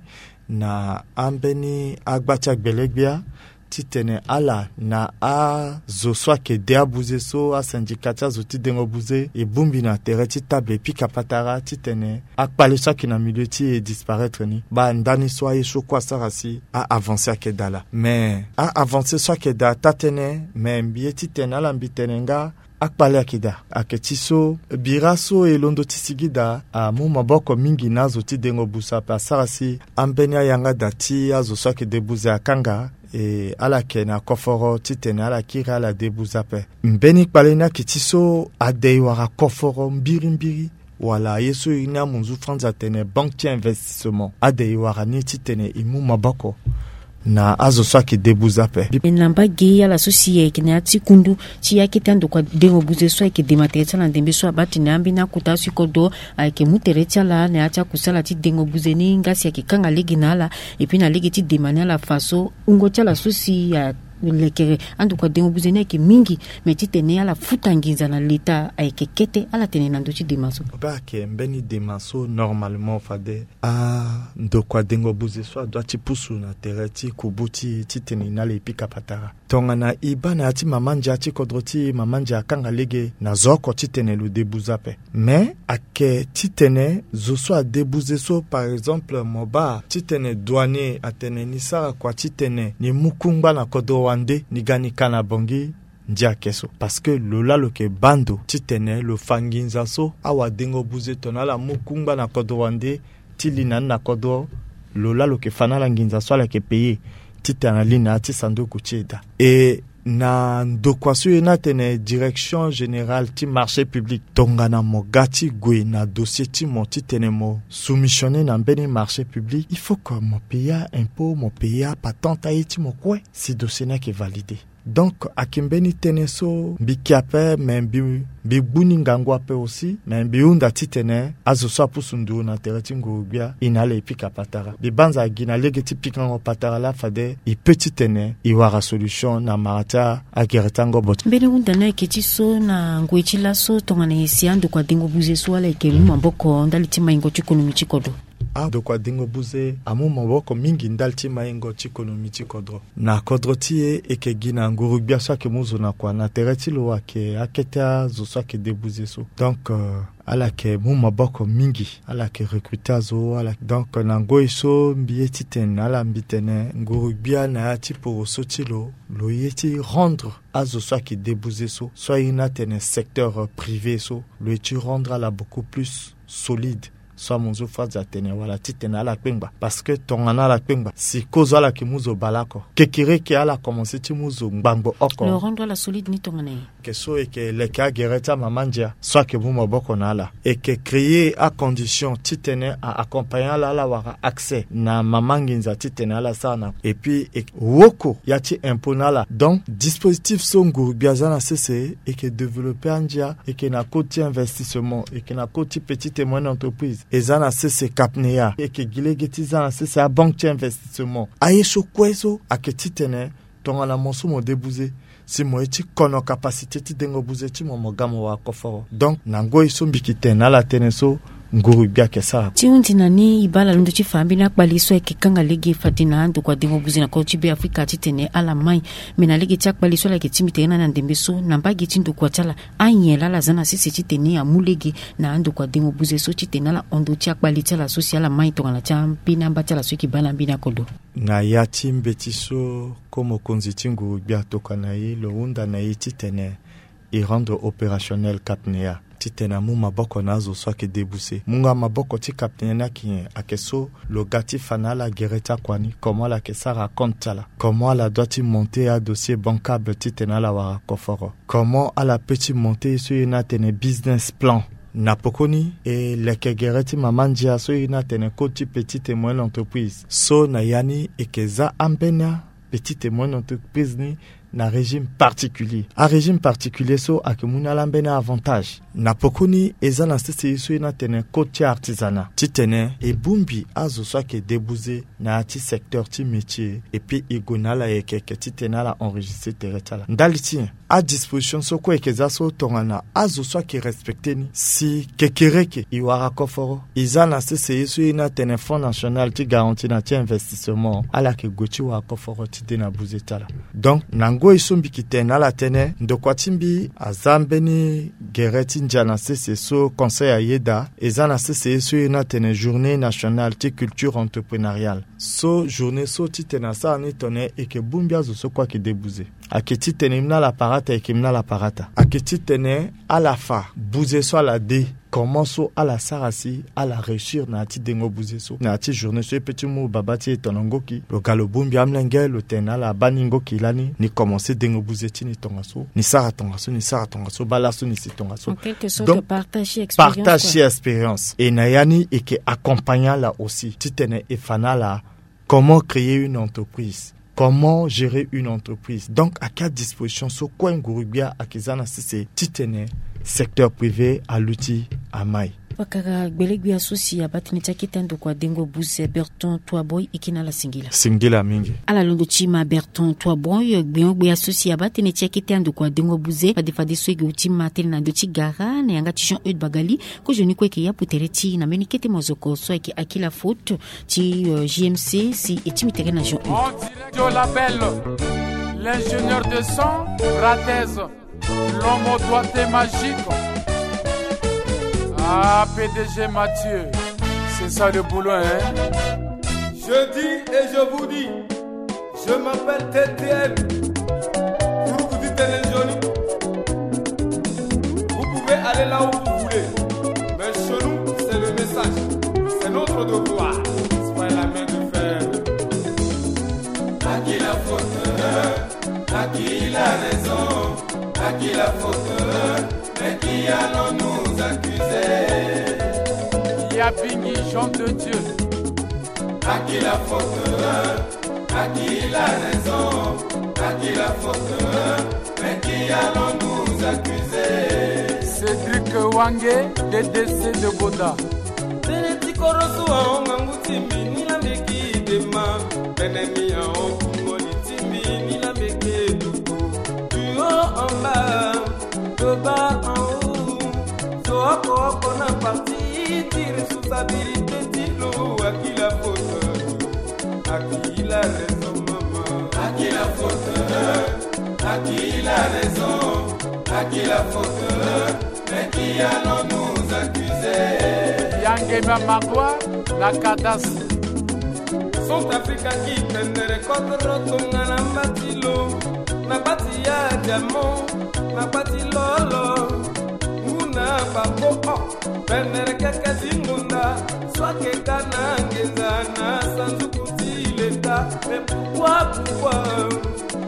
na ambeni agba ti agbele-gbia titene ala na azo so ayeke de abuze so asyndicat ti azo ti dengo buze e bongbi na tere ti table e pika patara titene akpale so ayeke na milieu ti e e disparaître ni. Baa ndani so aye so kue asara si a-avancer ayeke daa laa. Mais a-avancer so ayeke daa taa-tënë, mais mbi ye titene ala mbi tene nga akpale ayeke daa. Ayeke ti so bira so e londo ti sigi daa amu maboko mingi na azo ti dengo buze ape asara si ambeni ayanga daa ti azo so ayeke de buze akanga. E ala yeke na koforo titene ala kiri ala de buze ape. Mbeni kpale ni ayeke ti so ade e wara koforo mbirimbiri wala ye so e iri ni amunzu franze atene banque ti investissement, ade e wara ni titene e mu maboko na azo so ayeke débouze ape. E na mbage ala so si ayeke na ya ti kundu ti akete andokua dengo buze so ayeke dema tere ti ala na ndembe so abaa tene ambeni akota so e kodro ayeke mu tere ti ala na ya ti akusala ti dengo buze ni nga si ayeke kanga lege na ala. Epui na lege ti dema ni ala fa so wungo ti ala so si alekere andokua dengo buze ni ayeke mingi. Me titene ala futa nginza na leta ayeke kete ala tene na ndö ti dema so. Be ayeke mbeni dema so normalement fade andokua dengo buze so adua ti pusu na tere ti kubu ti e titene e na ala e pika patara. Tongana e baa na ya ti mama ndia ti kodro ti e, mama ndia akanga lege na zo oko titene lo débouze ape. Me ayeke titene zo so adébouze so, par exemple mo baa titene douanier atene ni sara kua titene ni mu kungba na kodro wande ni ga ni ka na bongi ndia ake so. Parce que lo laa lo yeke baa ndo titene lo fa nginza so awadengo buze tongana ala mu kungba na kodro wande ti li na ni na kodro, lo laa lo yeke fa na ala nginza so ala yeke payer titene ali na ya ti sanduku ti e daa. E na ndokua so e na atene direction générale ti marché public, tongana mo ga ti gue na dossier ti mo titene mo soumissionner na mbeni marché public, il faut que mo payer impôt, mo payer apatente aye ti mo kue si dossier ni ayeke valider. Donc ayeke mbeni tënë so mbi ke ape, me mbi mbi gbu ni ngangu ape aussi, me mbi hunda titene azo so apusu nduru na tere ti nguru-gbia e na ala e pika patara. Mbi banza gi na lege ti pikango patara laa fade e pe titene e wara solution na mara ti agere ti angobo ti. Mbeni hunda ni ayeke ti so na ngoi ti laso tongana e si andokua dengo buze so ala yeke mu maboko ndali ti maingo ti konomi ti kodro. Andokua dengo buze amu maboko mingi ndali ti maingo ti konomi ti kodro. Na kodro ti e, e yeke gi na nguru-gbia so ayeke mu zo na kua na tere ti lo ayeke akete azo so ayeke debuze so. Donc euh, ala yeke mu maboko mingi, ala yeke recruter azo ala. Donc na ngoi so mbi ye titene na ala mbi tene nguru-gbia na ya ti poroso ti lo, lo ye ti rendre azo so ayeke debuze so, so aye ni atene secteur euh, privé so, lo ye ti rendre ala beaucoup plus solide. So amonzo phrase atene wala titene ala kpengba, parce que tongana ala kpengba si kozo ala yeke mu zo baleoko, kekereke ala komanse ti mu zo ngbangbo oko. Lo rendre ala solide ni tongana nyen? Ke so e yeke leke agere ti amama ndia so ayeke mu maboko na ala, e yeke créer acondition titene a accompagner ala, ala wara accès na mama nginza titene ala sara na. Et puis e yeke woko ya ti impôt na ala. Donc dispositif so nguru-gbia aza na sese, e yeke développer andia, e yeke na code ti investissement, e yeke na code ti petite et moyenne entreprise, e za na sese CAPNEA, e yeke gi lege ti za na sese abanque ti investissement. Aye so kue so ayeke titene tongana mo so mo debuze, si mo ye ti kono capacité ti dengo buze ti mo, mo ga mo wara koforo. Donc na ngoi so mbi yeke tene na ala tënë so nguru-gbia ayeke sara. Ti hundi na ni e baa ala londo ti fa ambeni akpali so ayeke kanga lege fade na andokua dengo buze na kodro ti Beafrika titene ala mai. Me na lege ti akpali so ala yeke tingbi tere na ni na ndembe so na mbage ti ndokua ti ala, anyen laa ala za na sese titene amu lege na andokua dengo buze so titene ala hon ndö ti akpali ti ala so si ala mai tongana ti ambeni amba ti ala so e yeke baa na ambeni akodro? Na ya ti mbeti so, ko mokonzi ti nguru-gbia atokua na e, lo hunda na e titene e rendre opérationnel CAPNEA titene amu maboko na azo so ayeke debuze. Mungo maboko ti CAPNEA ni ayeke nyen? Ayeke so lo ga ti fa na ala gere ti akua ni, comment ala yeke sara compte ti ala, comment ala doit ti monter adossier bancable titene ala wara koforo, comment ala pe ti monter ye so e ye ni atene business plan. Na pokoni e leke gere ti mama ndia so e ye ni atene code ti petite et moyenne entreprise. So na ya ni e yeke za ambeni apetite et moyenne entreprise ni na régime particulier. Arégime particulier so ayeke mu na ala ambeni aavantage. Na pokoni e za na sese ye so e ye ni atene code ti artisanat titene e bongbi azo so ayeke debuze na ya ti secteur ti métier, et puis e gue na ala yeke yeke titene ala enregistrer tere ti ala. Ndali ti nyen? Adisposition so kue e yeke za so tongana azo so ayeke respecter ni, si kekereke e wara koforo, e za na sese ye so e ye ni atene Fonds national ti garantie na ti investissement, ala yeke gue ti wara koforo ti de na buze ti ala. Donc na ngoi so mbi yeke tene na ala tënë, ndokua ti mbi aza mbeni gere ti ndia na sese so conseil ayeda, e za na sese ye so e ye ni atene journée nationale ti culture entrepreneuriale. So journée so titene asara ni tongana e yeke bongbi azo so kue ayeke debuze. Ayeke titene e mu na ala parata, e yeke mu na ala parata. Ayeke titene ala fa buze so ala de, comment so ala sara si ala réussir na ya ti dengo buze so. Na ya ti journée so e pe ti mu baba ti e tono ngoki, lo ga lo bongbi amolenge, lo tene na ala baa ni ngoki lani, ni commencer dengo buze ti ni tongaso, ni sara tongaso, ni sara tongaso, baa laso ni si tongaso. En quelque sorte, donc partage ti expérience, partage ti expérience. E na ya ni e yeke accompagner ala aussi titene e fa na ala comment créer une entreprise, Comment gérer une entreprise? Donc ayeke adisposition so kue nguru-gbia ayeke za na sese titene secteur privé aluti amai. Pakara gbele-gbia so si abaa tënë ti akete andokua dengo buze Berton Toiboy e ke na ala singila. Singila mingi. Ala londo ti ma Berton Toiboy, gbenyo-gbia so si abaa tënë ti akete andokua dengo buze fade fadeso e ke gue ti ma tënë na ndö ti gara na yanga ti Jean Eude Bagali. Kozoni kue e ke yapu tere ti na mbeni kete mozoko so ayeke Aki la faute ti J M C si e tingbi tere na Jean Eude. Joe Labelle, l'ingénieur de son, Ratez, l'homme au doigté magique. Ah, P D G Mathieu, c'est ça le boulot, hein? Je dis et je vous dis, je m'appelle T T N. Pour vous dire les jolis, vous pouvez aller là où vous voulez. Mais chez nous, c'est le message. C'est notre devoir. C'est pas la main de fer. À qui la faute? À qui la raison? À qui la faute? Mais qui allons-nous accuser? Il y a Bingi, Jean de Dieu. À qui la faute? À qui la raison? À qui la faute? Mais qui allons-nous accuser? Cédric Wange, D D C de Boda. Tënë ti koroso ahon ngangu ti mbi ni la mbi ki dema. Tënë ni ahon kungoli ti mbi ni la mbi ki duku. Du haut en bas, de bas en haut. So oko oko na parti ti responsabilité ti lo. À qui la faute? À qui la raison, maman? À qui la faute? À qui la raison? À qui la faute? Mais qui allons-nous accuser? Yangema Magua, la cadastre. Centrafrique aki pendere kodro tongana mba ti lo. Na gba ti ya diamant, na gba ti lolo. Ngu na babo o. Pendere keke ti ngonda. So ayeke ka na ngenza na sanduku ti leta. Mais pourquoi, pourquoi?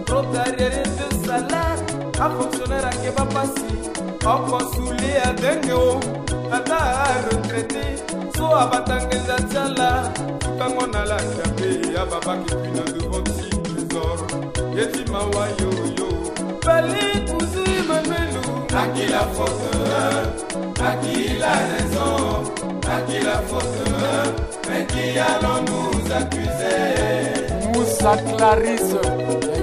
Trop d'arriérés de salaire. Afonctionnaire ayeke baa pasi. Oko soulier adenge o. Ata aretraité so abata ngenza ti ala. Futango na ala ti ape. Ababaki puis na devant ti trésor. Ye ti mawa yoyo. Fali kuzu Emmanuel. À qui la faute? À qui la raison? À qui la faute? Mais qui allons-nous accuser? Moussa Clarisse,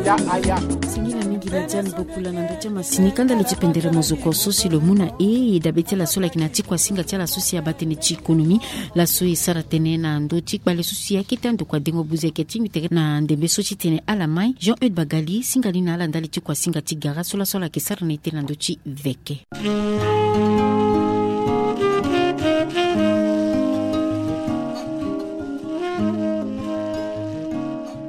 Yaya Aya. Singila mingi na Diane Bokula na ndö ti amasini. Kanda lo ti pendere mozoko so si lo mu na e e dabe ti ala so lo yeke na ti kuasinga ti ala so si abaa tënë ti économie. Laso e sara tënë na ndö ti kpale so si akete andokua dengo buze ayeke tingbi tere na ndembe so ti tene ala mai. Jean Eude Bagali singa ni na ala ndali ti kuasinga ti gara so laso ala yeke sara na ete na ndö ti veke.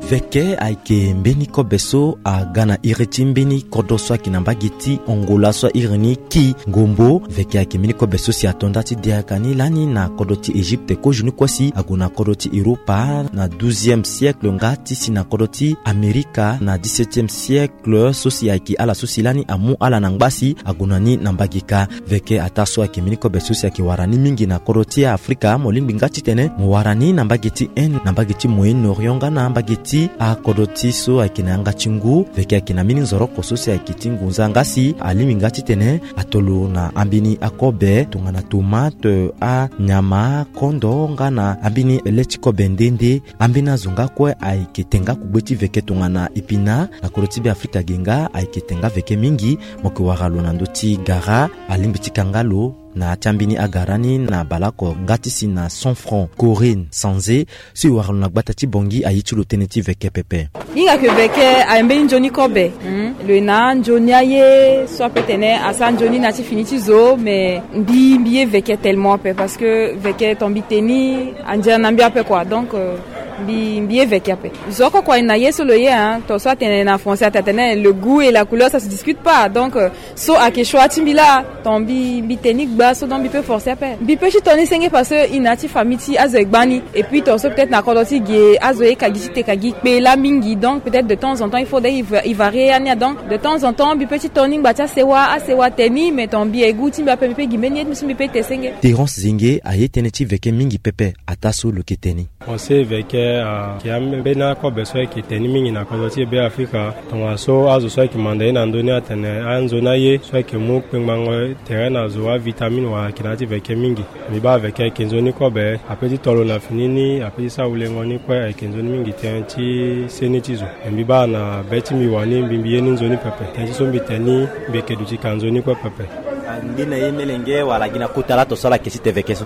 Veke ayeke mbeni kobe so aga na iri ti mbeni kodro so ayeke na mbage ti Angola so airi ni Ki Ngombo. Veke ayeke mbeni kobe so si ato nda ti diaka ni lani na kodro ti Egypte, kozoni kue si ague na kodro ti Europa na douzième siècle nga ti si na kodro ti Amerika na dix-septième siècle. Kle so si ayeke ala so si lani amu ala na ngba si ague na ni na mbage ka. Veke ataa so ayeke mbeni kobe so si ayeke wara ni mingi na kodro ti Afrika, mo lingbi nga titene mo wara ni na mbage ti Inde, na mbage ti Moyen-Orient nga na mbage ti akodro ti so ayeke na yanga ti ngu. Veke ayeke na mbeni nzoroko so si ayeke ti ngunza nga si alingbi nga titene ato lo na ambeni akobe tongana tomate, anyama, kondo nga na ambeni le ti kobe nde nde. Ambeni azo nga kue ayeke te nga kugbe ti veke tongana epina na kodro ti Beafrika ge nga ayeke te nga veke mingi. Mo yeke wara lo na ndö ti gara, alingbi ti ka nga lo na ya ti ambeni agara ni na baleoko nga ti si na cent francs. Corinne Sanze so e wara lo na gbata ti Bangui aye ti lo tënë ti veke pepe. Hinga ke veke aye mbeni nzoni kobe. Hmm. Lo ye na anzoni aye so ape tene asara nzoni na ya ti fini ti zo, mais mbi, mbi ye veke tellement ape parce que veke ton mbi te ni andiara na mbi ape quoi. Donc, euh, mbi, mbi ye veke ape. Zo oko kue aye na ye so lo ye, hein, ton so atene na français, atene le goût et la couleur ça se discute pas. Donc, euh, so ayeke choix ti mbi laa, ton mbi, mbi te ni gba so, donc mbi peut forcer ape. Mbi peut ti to ni senge parce que i na ya ti famille ti azo e gba ni. Et puis ton so peut-être na kodro ti ge azo ye ka gi ti te ka gi kpe laa mingi. Donc peut-être de temps en temps il faudrait i va, i varier ya ni ya. Donc de temps en temps mbi peut ti to ni ngba ti asewa, asewa te ni, mais ton mbi e goût ti mbi ape, mbi peut gi mbeni ye ti mbi so mbi peut te senge. Terence Zenge aye tënë ti veke mingi pepe, ataa so lo yeke te ni. On sait veke Ayeke ambeni akobe so ayeke tene ni mingi na kodro ti e Be Afrika. Tongaso azo so ayeke manda ye na ndö ni atene anzoni aye so ayeke mu kpengbango tere na zo avitamine wala ayeke na ya ti veke mingi. Mbi baa veke ayeke nzoni kobe. Ape ti tolo na fini ni ape ti sara wulengo ni kue ayeke nzoni mingi tënë ti seni ti zo. Mbi baa na be ti mbi wani mbi mbi ye ni nzoni pepe. Tënë ti so mbi tene ni mbi yeke duti ka nzoni kue pepe. Angbi na ye melenge wala gi na kota laa to so ala yeke ti te veke so?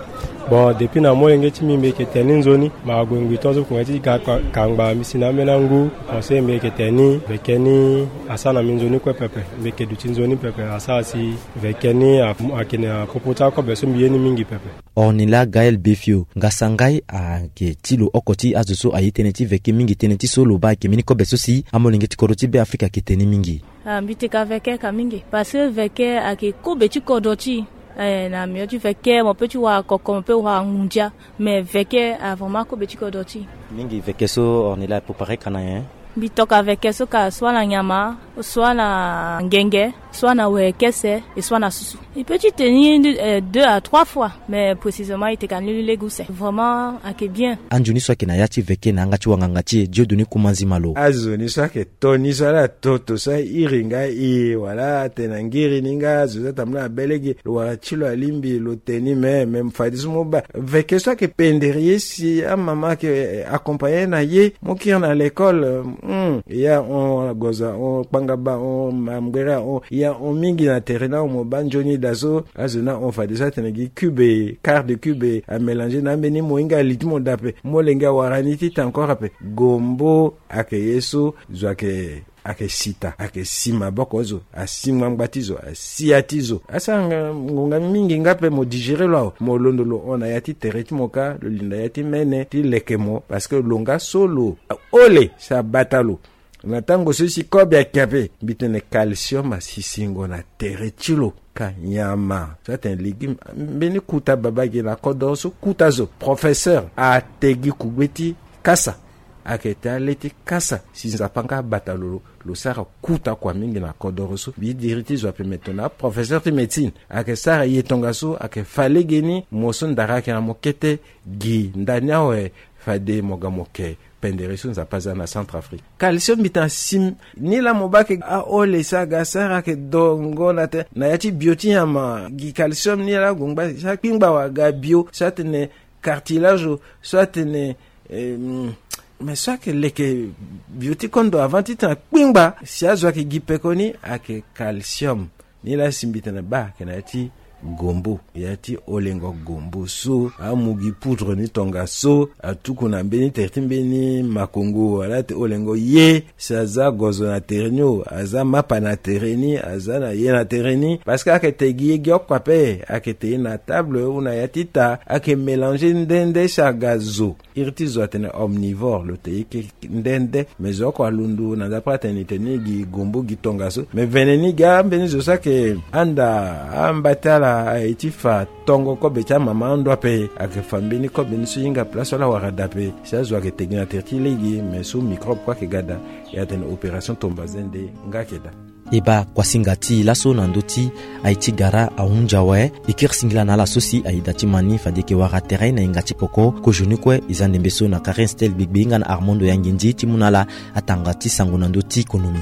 Bon, depuis na molenge ti mbi mbi yeke tene ni nzoni. Ma ague ngbi tongaso kue ti ga kangba mbi si na ambeni angu. Conseil mbi yeke tene ni veke ni asara na mbi nzoni kue pepe. Mbi yeke duti nzoni pepe asara si veke ni ayeke na popo ti akobe so mbi ye ni mingi pepe. Ornila Gaël Befio, nga sangai ayeke ti lo oko ti azo so aye tënë ti veke mingi. Tënë ti so lo baa ayeke mbeni kobe so si amolenge ti kodro ti Be Afrika ayeke tene mingi. Ah, mbi teka veke ka mingi parce que veke ayeke kobe ti kodro ti e. Eh, na mio ti veke mo pe ti wara koko mo pe wara ngundia. Mais veke a vraiment kobe ti kodro ti e. Mingi veke so Ornila e prépare ka na nyen? Mbi toka veke so ka soit na nyama, soit na ngenge, soit na wekese, et soit na susu. E pe ti tene ni deux à trois fois, mais précisément e teka ni lege use. Vraiment ayeke bien. Anzoni so ayeke na ya ti veke na yanga ti wanganga ti e Dieudonné Kumanzi Malo. Anzoni so ayeke to ni so ala to to so airi nga e wala atene na ngiri ni nga zo so atambula na be lege lo wara ti lo alingbi lo tene ni me me fadeso mo baa veke so ayeke pendere ye si amama ayeke accompagner na ye mo kiri na l'école. Hmm, ya hon agoza hon kpangaba hon mamgbere ahon ya hon mingi na tere ni ahon mo baa nzoni daa so azo ni ahon fadeso atene gi cube quart de cube amélanger na ambeni mo hinga li ti mo daa ape. Molenge awara ni ti ta encore ape. Gombo ayeke ye so zo ayeke ayeke sita ayeke si maboko ti zo asi ngbangba ti zo asi ya ti zo asara ngonga mingi nga ape mo digérer lo awe mo londo lo hon na ya ti tere ti mo kâ lo linda ya ti mene ti leke mo parce que lo nga so lo hole si abata lo. Na tango so si kobe ayeke ape mbi tene calcium asi singo na tere ti lo ka nyama so atene légume. Mbeni kuta baba gi na kodoro so kuta zo professeur ate gi kugbe ti kasa. Ayeke te ale ti kasa si nzapa nga abata lo lo sara kuta kua mingi na kodoro so mbi diri ti zo ape me tongana aprofesseur ti médecine ayeke sara ye tongaso ayeke fa legeni mo so ndara ayeke na mo kete gi ndani awe. Fade mo ga mo ke pendere so nzapa aza na centre afrique. Calcium mbi tene asi ni laa mo baa ayeke ahole so aga sara ayeke dongo na te na ya ti bio ti nyama gi calcium ni laa ague ngba si akpingba wa aga bio so atene cartilage so atene me so ayeke leke bio ti kondo avant ti tena kpingba si azo ayeke gi pekoni ayeke calcium. Ni laa si mbi tene baa ayeke na ya ti gombo ya ti holengo gombo so amu gi poudre ni tongaso atuku na mbeni tere ti mbeni makongo wala ti holengo ye si aza gozo na tere ni o aza mapa na tere ni aza na ye na tere ni parce que ayeke te gi ye gi oko ape ayeke te ye na table ou na ya ti ta ayeke mélanger nde nde si aga zo. Iri ti zo atene omnivore lo te ye ke nde nde me zo oko alondo na nzapa atene ni tene ni gi gombo gi tongaso me vene ni gi ambeni zo so ayeke anda amba ti ala aye ti fa tongo kobe ti amama ando ape ayeke fa mbeni kobe ni so hinga place so ala wara dape si azo ayeke te gi na tere ti lege me so microbe kue ayeke ga daa. E atene opération tomba zende nga ayeke daa. E baa kuasinga ti e laso na ndö ti aye ti gara ahunzi awe. E kiri singila na ala so si aye da ti ma ni fade e yeke wara tere na hinga ti poko. Kozoni kue e za ndembe so na Karen Stel Gbegbe nga na Armando Yangindi ti mu na ala atanga ti sango na ndö ti konomi.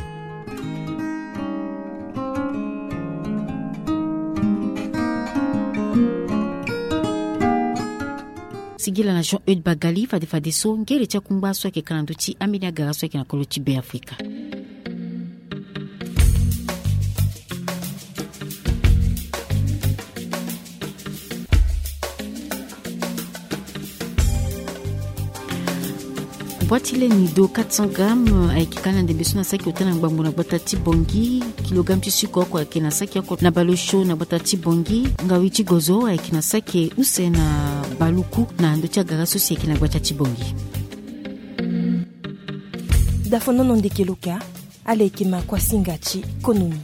Singila na Jean Eude Bagali fade fadeso ngele ti akungba so ayeke ka na ndö ti ambeni agara so ayeke na kolo ti Be Afrika. Bua ti leni do quatre cents grammes ayeke ka na ndembe so na saki ota na ngbangbo na gbata ti Bongi. Kilogramme ti suku oko ayeke na saki oko na baleosio na gbata ti Bongi. Ngawi ti gozo ayeke na saki use na baluku na ndö ti agara so si ayeke na gbata ti Bongi. Dafonono ndeke loka. Ala yeke ma kuasinga ti konomi.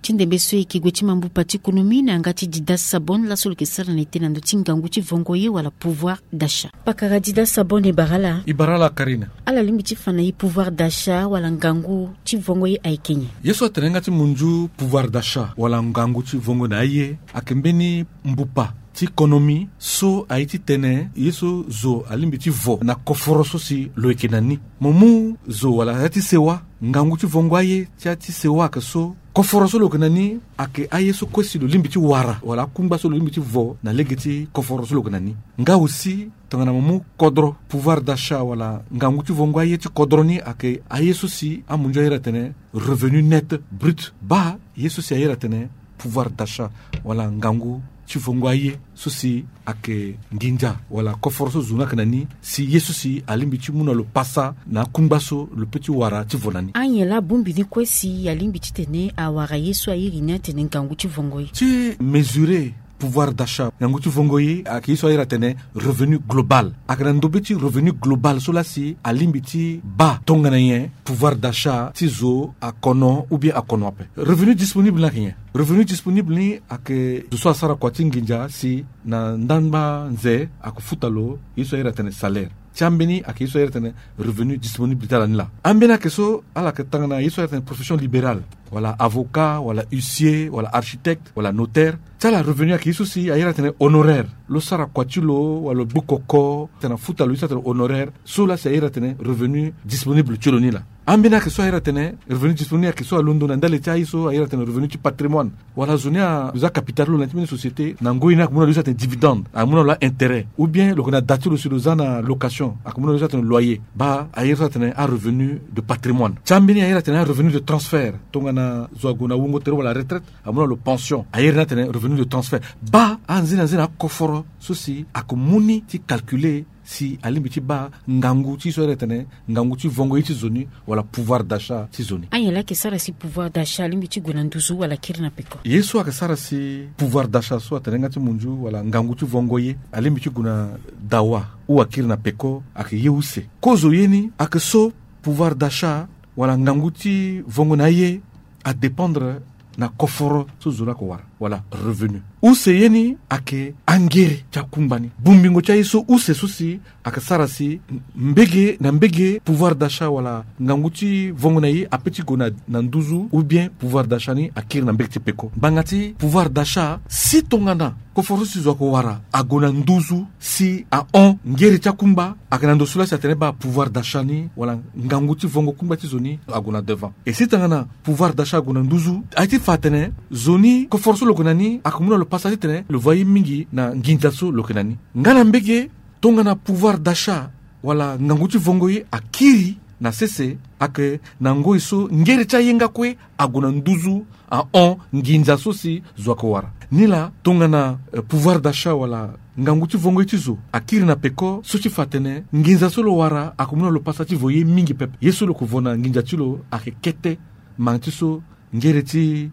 Ti ndembe so e yeke gue ti ma mbupa ti konomi na yanga ti Dida Sabon laso lo yeke sara na ete na ndö ti ngangu ti vongo ye wala pouvoir d'achat. Pakara Dida Sabon e bara ala. E bara ala Karina. Ala lingbi ti fa na e pouvoir d'achat wala ngangu ti vongo ye ayeke nyen? Ye so atene yanga ti munzu pouvoir d'achat wala ngangu ti vongo na aye ayeke mbeni mbupa ti konomi so aye ti tene ye so zo alingbi ti vo na koforo so si lo yeke na ni. Mo mu zo wala ya ti sewa, ngangu ti vongo aye ti ya ti sewa ayeke so koforo so lo yeke na ni ayeke aye so kue si lo lingbi ti wara wala akungba so lo lingbi ti vo na lege ti koforo so lo yeke na ni. Nga aussi tongana mo mu kodro, pouvoir d'achat wala ngangu ti vongo aye ti kodro ni ayeke aye so si amunzu ayere atene revenu net brut. Baa ye so si ayere atene pouvoir d'achat wala ngangu ti vongo aye so si ayeke nginza wala koforo so zo ni ayeke na ni, si ye so si alingbi ti mu na lo pasa na akungba so lo pe ti wara ti vo na ni. Anyen laa bongbi ni kue si alingbi titene awara ye so airi ni atene ngangu ti vongo ye. Ti mesurer pouvoir d'achat, ngangu ti vongo ye, ayeke ye so ayere atene revenu global. Ayeke na ndobe ti revenu global so laa si alingbi ti baa tongana nyen pouvoir d'achat ti zo akono ou bien akono ape. Revenu disponible ni ayeke nyen? Revenu disponible ni ayeke zo so asara kua ti nginza si na ndangba nze ayeke futa lo ye so ayere atene salaire. Ti ambeni ayeke ye so ayere atene revenu disponible ti ala ni laa. Ambeni ayeke so ala yeke tanga na ye so ayere atene profession libérale, wala avocat, wala huissier, wala architecte, wala notaire. Ti ala revenu ayeke ye so si ayere atene honoraire. Lo sara kua ti lo wala lo gbu koko tena futa lo ye so atene honoraire, so laa si ayere atene revenu disponible ti lo ni laa. Ambeni ayeke so ayere atene revenu disponible ayeke so alondo na ndali ti aye so ayere atene revenu ti patrimoine. Wala zo ni aza capital ti lo na ya ti mbeni société, na ngoi ni ayeke mu na lo ye so atene dividende, ayeke mu na lo aintérêt, ou bien lo yeke na da ti lo si lo za na location, ayeke mu na lo ye so atene loyer. Baa ayere so atene arevenu de patrimoine. Ti ambeni ayere atene arevenu de transfert, tongana zo ague na wungo tere wala retraite, amu na lo pension, ayere ni atene revenu de transfert. Baa anze na nze na akoforo so si ayeke mu ni ti calculer si alingbi ti baa ngangu ti ye so ayere atene ngangu ti vongo ye ti zo ni wala pouvoir d'achat ti zo ni. Anyen laa ayeke sara si pouvoir d'achat alingbi ti gue na nduzu wala akiri na peko? Ye so ayeke sara si pouvoir d'achat so atene nga ti munzu wala ngangu ti vongo ye alingbi ti gue na dawa ou akiri na peko ayeke ye use. Kozo ye ni ayeke so pouvoir d'achat wala ngangu ti vongo na aye adépendre na koforo so zo ni ayeke wara wala revenu. Use ye ni ayeke angere ti akungba ni. Bongbingo ti aye so use so si ayeke sara si mbege na mbege pouvoir d'achat wala ngangu ti vongo na ye ape ti gue na, na nduzu ou bien pouvoir d'achat ni akiri na mbege ti peko. Ngbanga ti pouvoir d'achat si tongana koforo so si zo ayeke wara ague na nduzu si ahon ngere ti akungba, ayeke na ndo so laa si atene baa pouvoir d'achat ni wala ngangu ti vongo kungba ti zo ni ague na devant. E si tongana pouvoir d'achat ague na nduzu, aye ti fa atene zo ni koforo so lo yeke na ni ayeke mu na lo pasa titene lo voa ye mingi na nginza so lo yeke na ni. Nga na mbege tongana pouvoir d'achat wala ngangu ti vongo ye akiri na sese, ayeke na ngoi so ngere ti aye nga kue ague na nduzu ahon nginza so si zo ayeke wara. Nilaa tongana, eh, pouvoir d'achat wala ngangu ti vongo ye ti zo akiri na peko so ti fa atene nginza so lo wara ayeke mu na lo pasa ti vo ye mingi pepe. Ye so lo yeke vo na nginza ti lo ayeke kete, mangi ti so ngere ti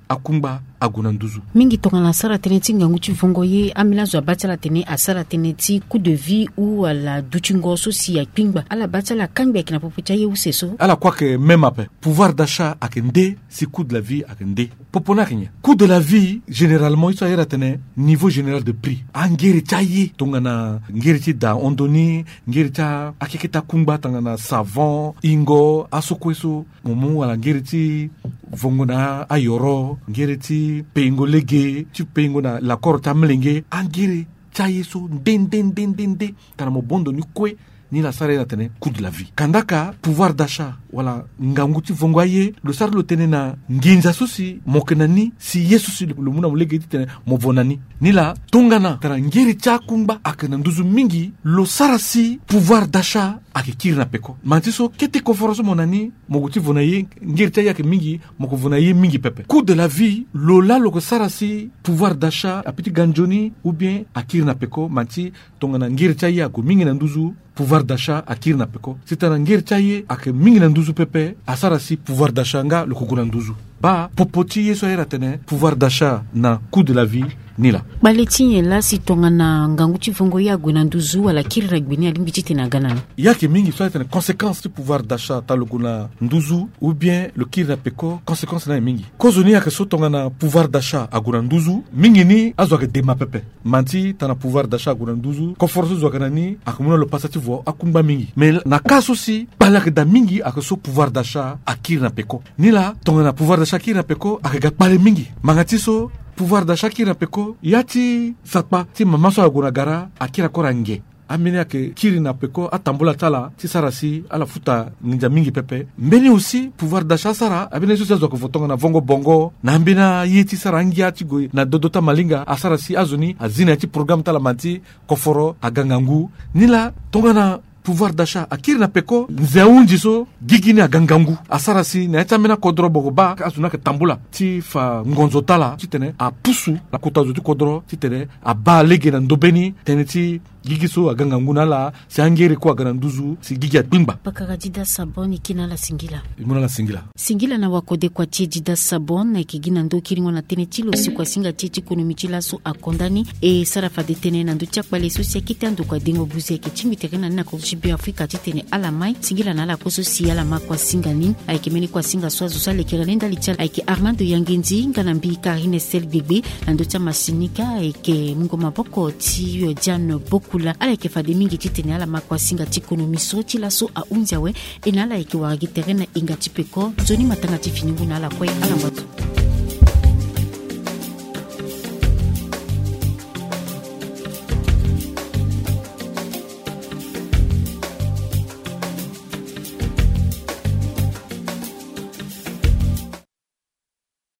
akungba ague na nduzu. Mingi tongana asara tënë ti ngangu ti vongo ye, ambeni azo abaa ti ala atene asara tënë ti coût de vie ou ala dutingo so si akpingba. Ala baa ti ala akangbi ayeke na popo ti aye use so. Ala kue ayeke même ape. Pouvoir d'achat ayeke nde si coût de la vie ayeke nde. Popo ni ayeke nyen? Coût de la vie, généralement, ye so ayere atene niveau général de prix. Angere ti aye, tongana ngere ti da hondo ni, ngere ti akeke ti akungba tongana savon, ingo, aso kue so, mo mu wala ngere ti vongo na ayoro, ngere ti peingo lege, ti peingo na lakoro ti amlenge, angere ti aye so nde nde nde nde nde. Tongana mo bondo ni kue, ni la sara ye na tene coût de la vie. Kandaka pouvoir d'achat wala ngangu ti vongo aye, lo sara lo tene na nginza so si mo yeke na ni, si ye so si lo mu na mo lege titene mo vo na ni. Ni la tongana tara ngere ti akungba ayeke na nduzu mingi, lo sara si pouvoir d'achat ayeke kiri na peko. Manti so kete koforo so mo na ni, mo gue ti vo na ye, ngere ti aye ayeke mingi, mo ke vo na ye mingi pepe. Coût de la vie, lo la lo ke sara si pouvoir d'achat ape ti ga nzoni ou bien akiri na peko. Manti tongana ngere ti aye ague mingi na nduzu, pouvoir d'achat akiri na peko. Si tongana ngere ti aye ayeke mingi na nduzu pepe, asara si pouvoir d'achat nga lo ke gue na nduzu. Baa popo ti ye so ayere atene pouvoir d'achat na coût de la vie ni la. Kpale ti nyen la si tongana ngangu ti vongo ye ague na nduzu wala akiri na gbe ni, alingbi titene aga na ni? Ye ayeke mingi so ayere atene conséquence ti pouvoir d'achat tongana lo gue na nduzu ou bien lo kiri na peko, conséquence ni ayeke mingi. Kozoni ayeke so tongana pouvoir d'achat ague na nduzu, mingi ni azo ayeke dema pepe. Manti tongana pouvoir d'achat ague na nduzu, koforo so zo ayeke na ni ayeke mu na lo pasa ti vo akungba mingi. Mais na ka so si kpale ayeke daa mingi ayeke so pouvoir d'achat akiri na peko. Ni la tongana pouvoir d'achat akiri na peko, ayeke ga kpale mingi. Ngbanga ti so pouvoir d'achat akiri na peko, ya ti sakpa ti mama so ague na gara akiri akora nge. Ambeni ayeke kiri na peko atambula ti ala ti sara si ala futa nginza mingi pepe. Mbeni aussi pouvoir d'achat asara ambeni aye so si azo ayeke vo tongana vongo bongo na ambeni aye ti sara angia ti gue na dodo ti amalinga asara si azo ni azi na ya ti programme ti ala mani ti koforo aga ngangu. Ni laa tongana pouvoir d'achat akiri na peko, nze ahunzi so gigi ni aga ngangu asara si na ya ti ambeni akodro boko baa azo ni ayeke tambula ti fa ngonzo ti ala titene apusu na kota zo ti kodro titene abaa lege na ndobeni tënë ti gigi so aga ngangu na ala si angere kue aga na nduzu si gigi akpingba. Pakara Dida Sabon, e ke na ala singila. E mu na ala singila. Singila na wakodekua ti e Dida Sabon, na yeke gi na ndö kiringo na tënë ti lo si kuasinga ti e ti konomi ti laso akonda ni. E sara fade tënë na ndö ti akpale so si akete andokua dengo buze ayeke tingbi tere na ni na kodro ti Beafrika titene ala mai. Singila na ala kue so si ala ma kuasinga ni. Ayeke mbeni kuasinga so azo so alekere ni ndali ti ala ayeke Armando Yangendi nga na mbi Karine Sel Gbegbe. Na ndö ti amasinika ayeke mungo maboko ti Diane Bokula. Ala yeke fade mingi titene ala ma kuasinga ti konomi so ti laso ahunzi awe. E na ala yeke wara gi tere na hinga ti peko. Nzoni matanga ti fini ngu na ala kue, ala ngba zo.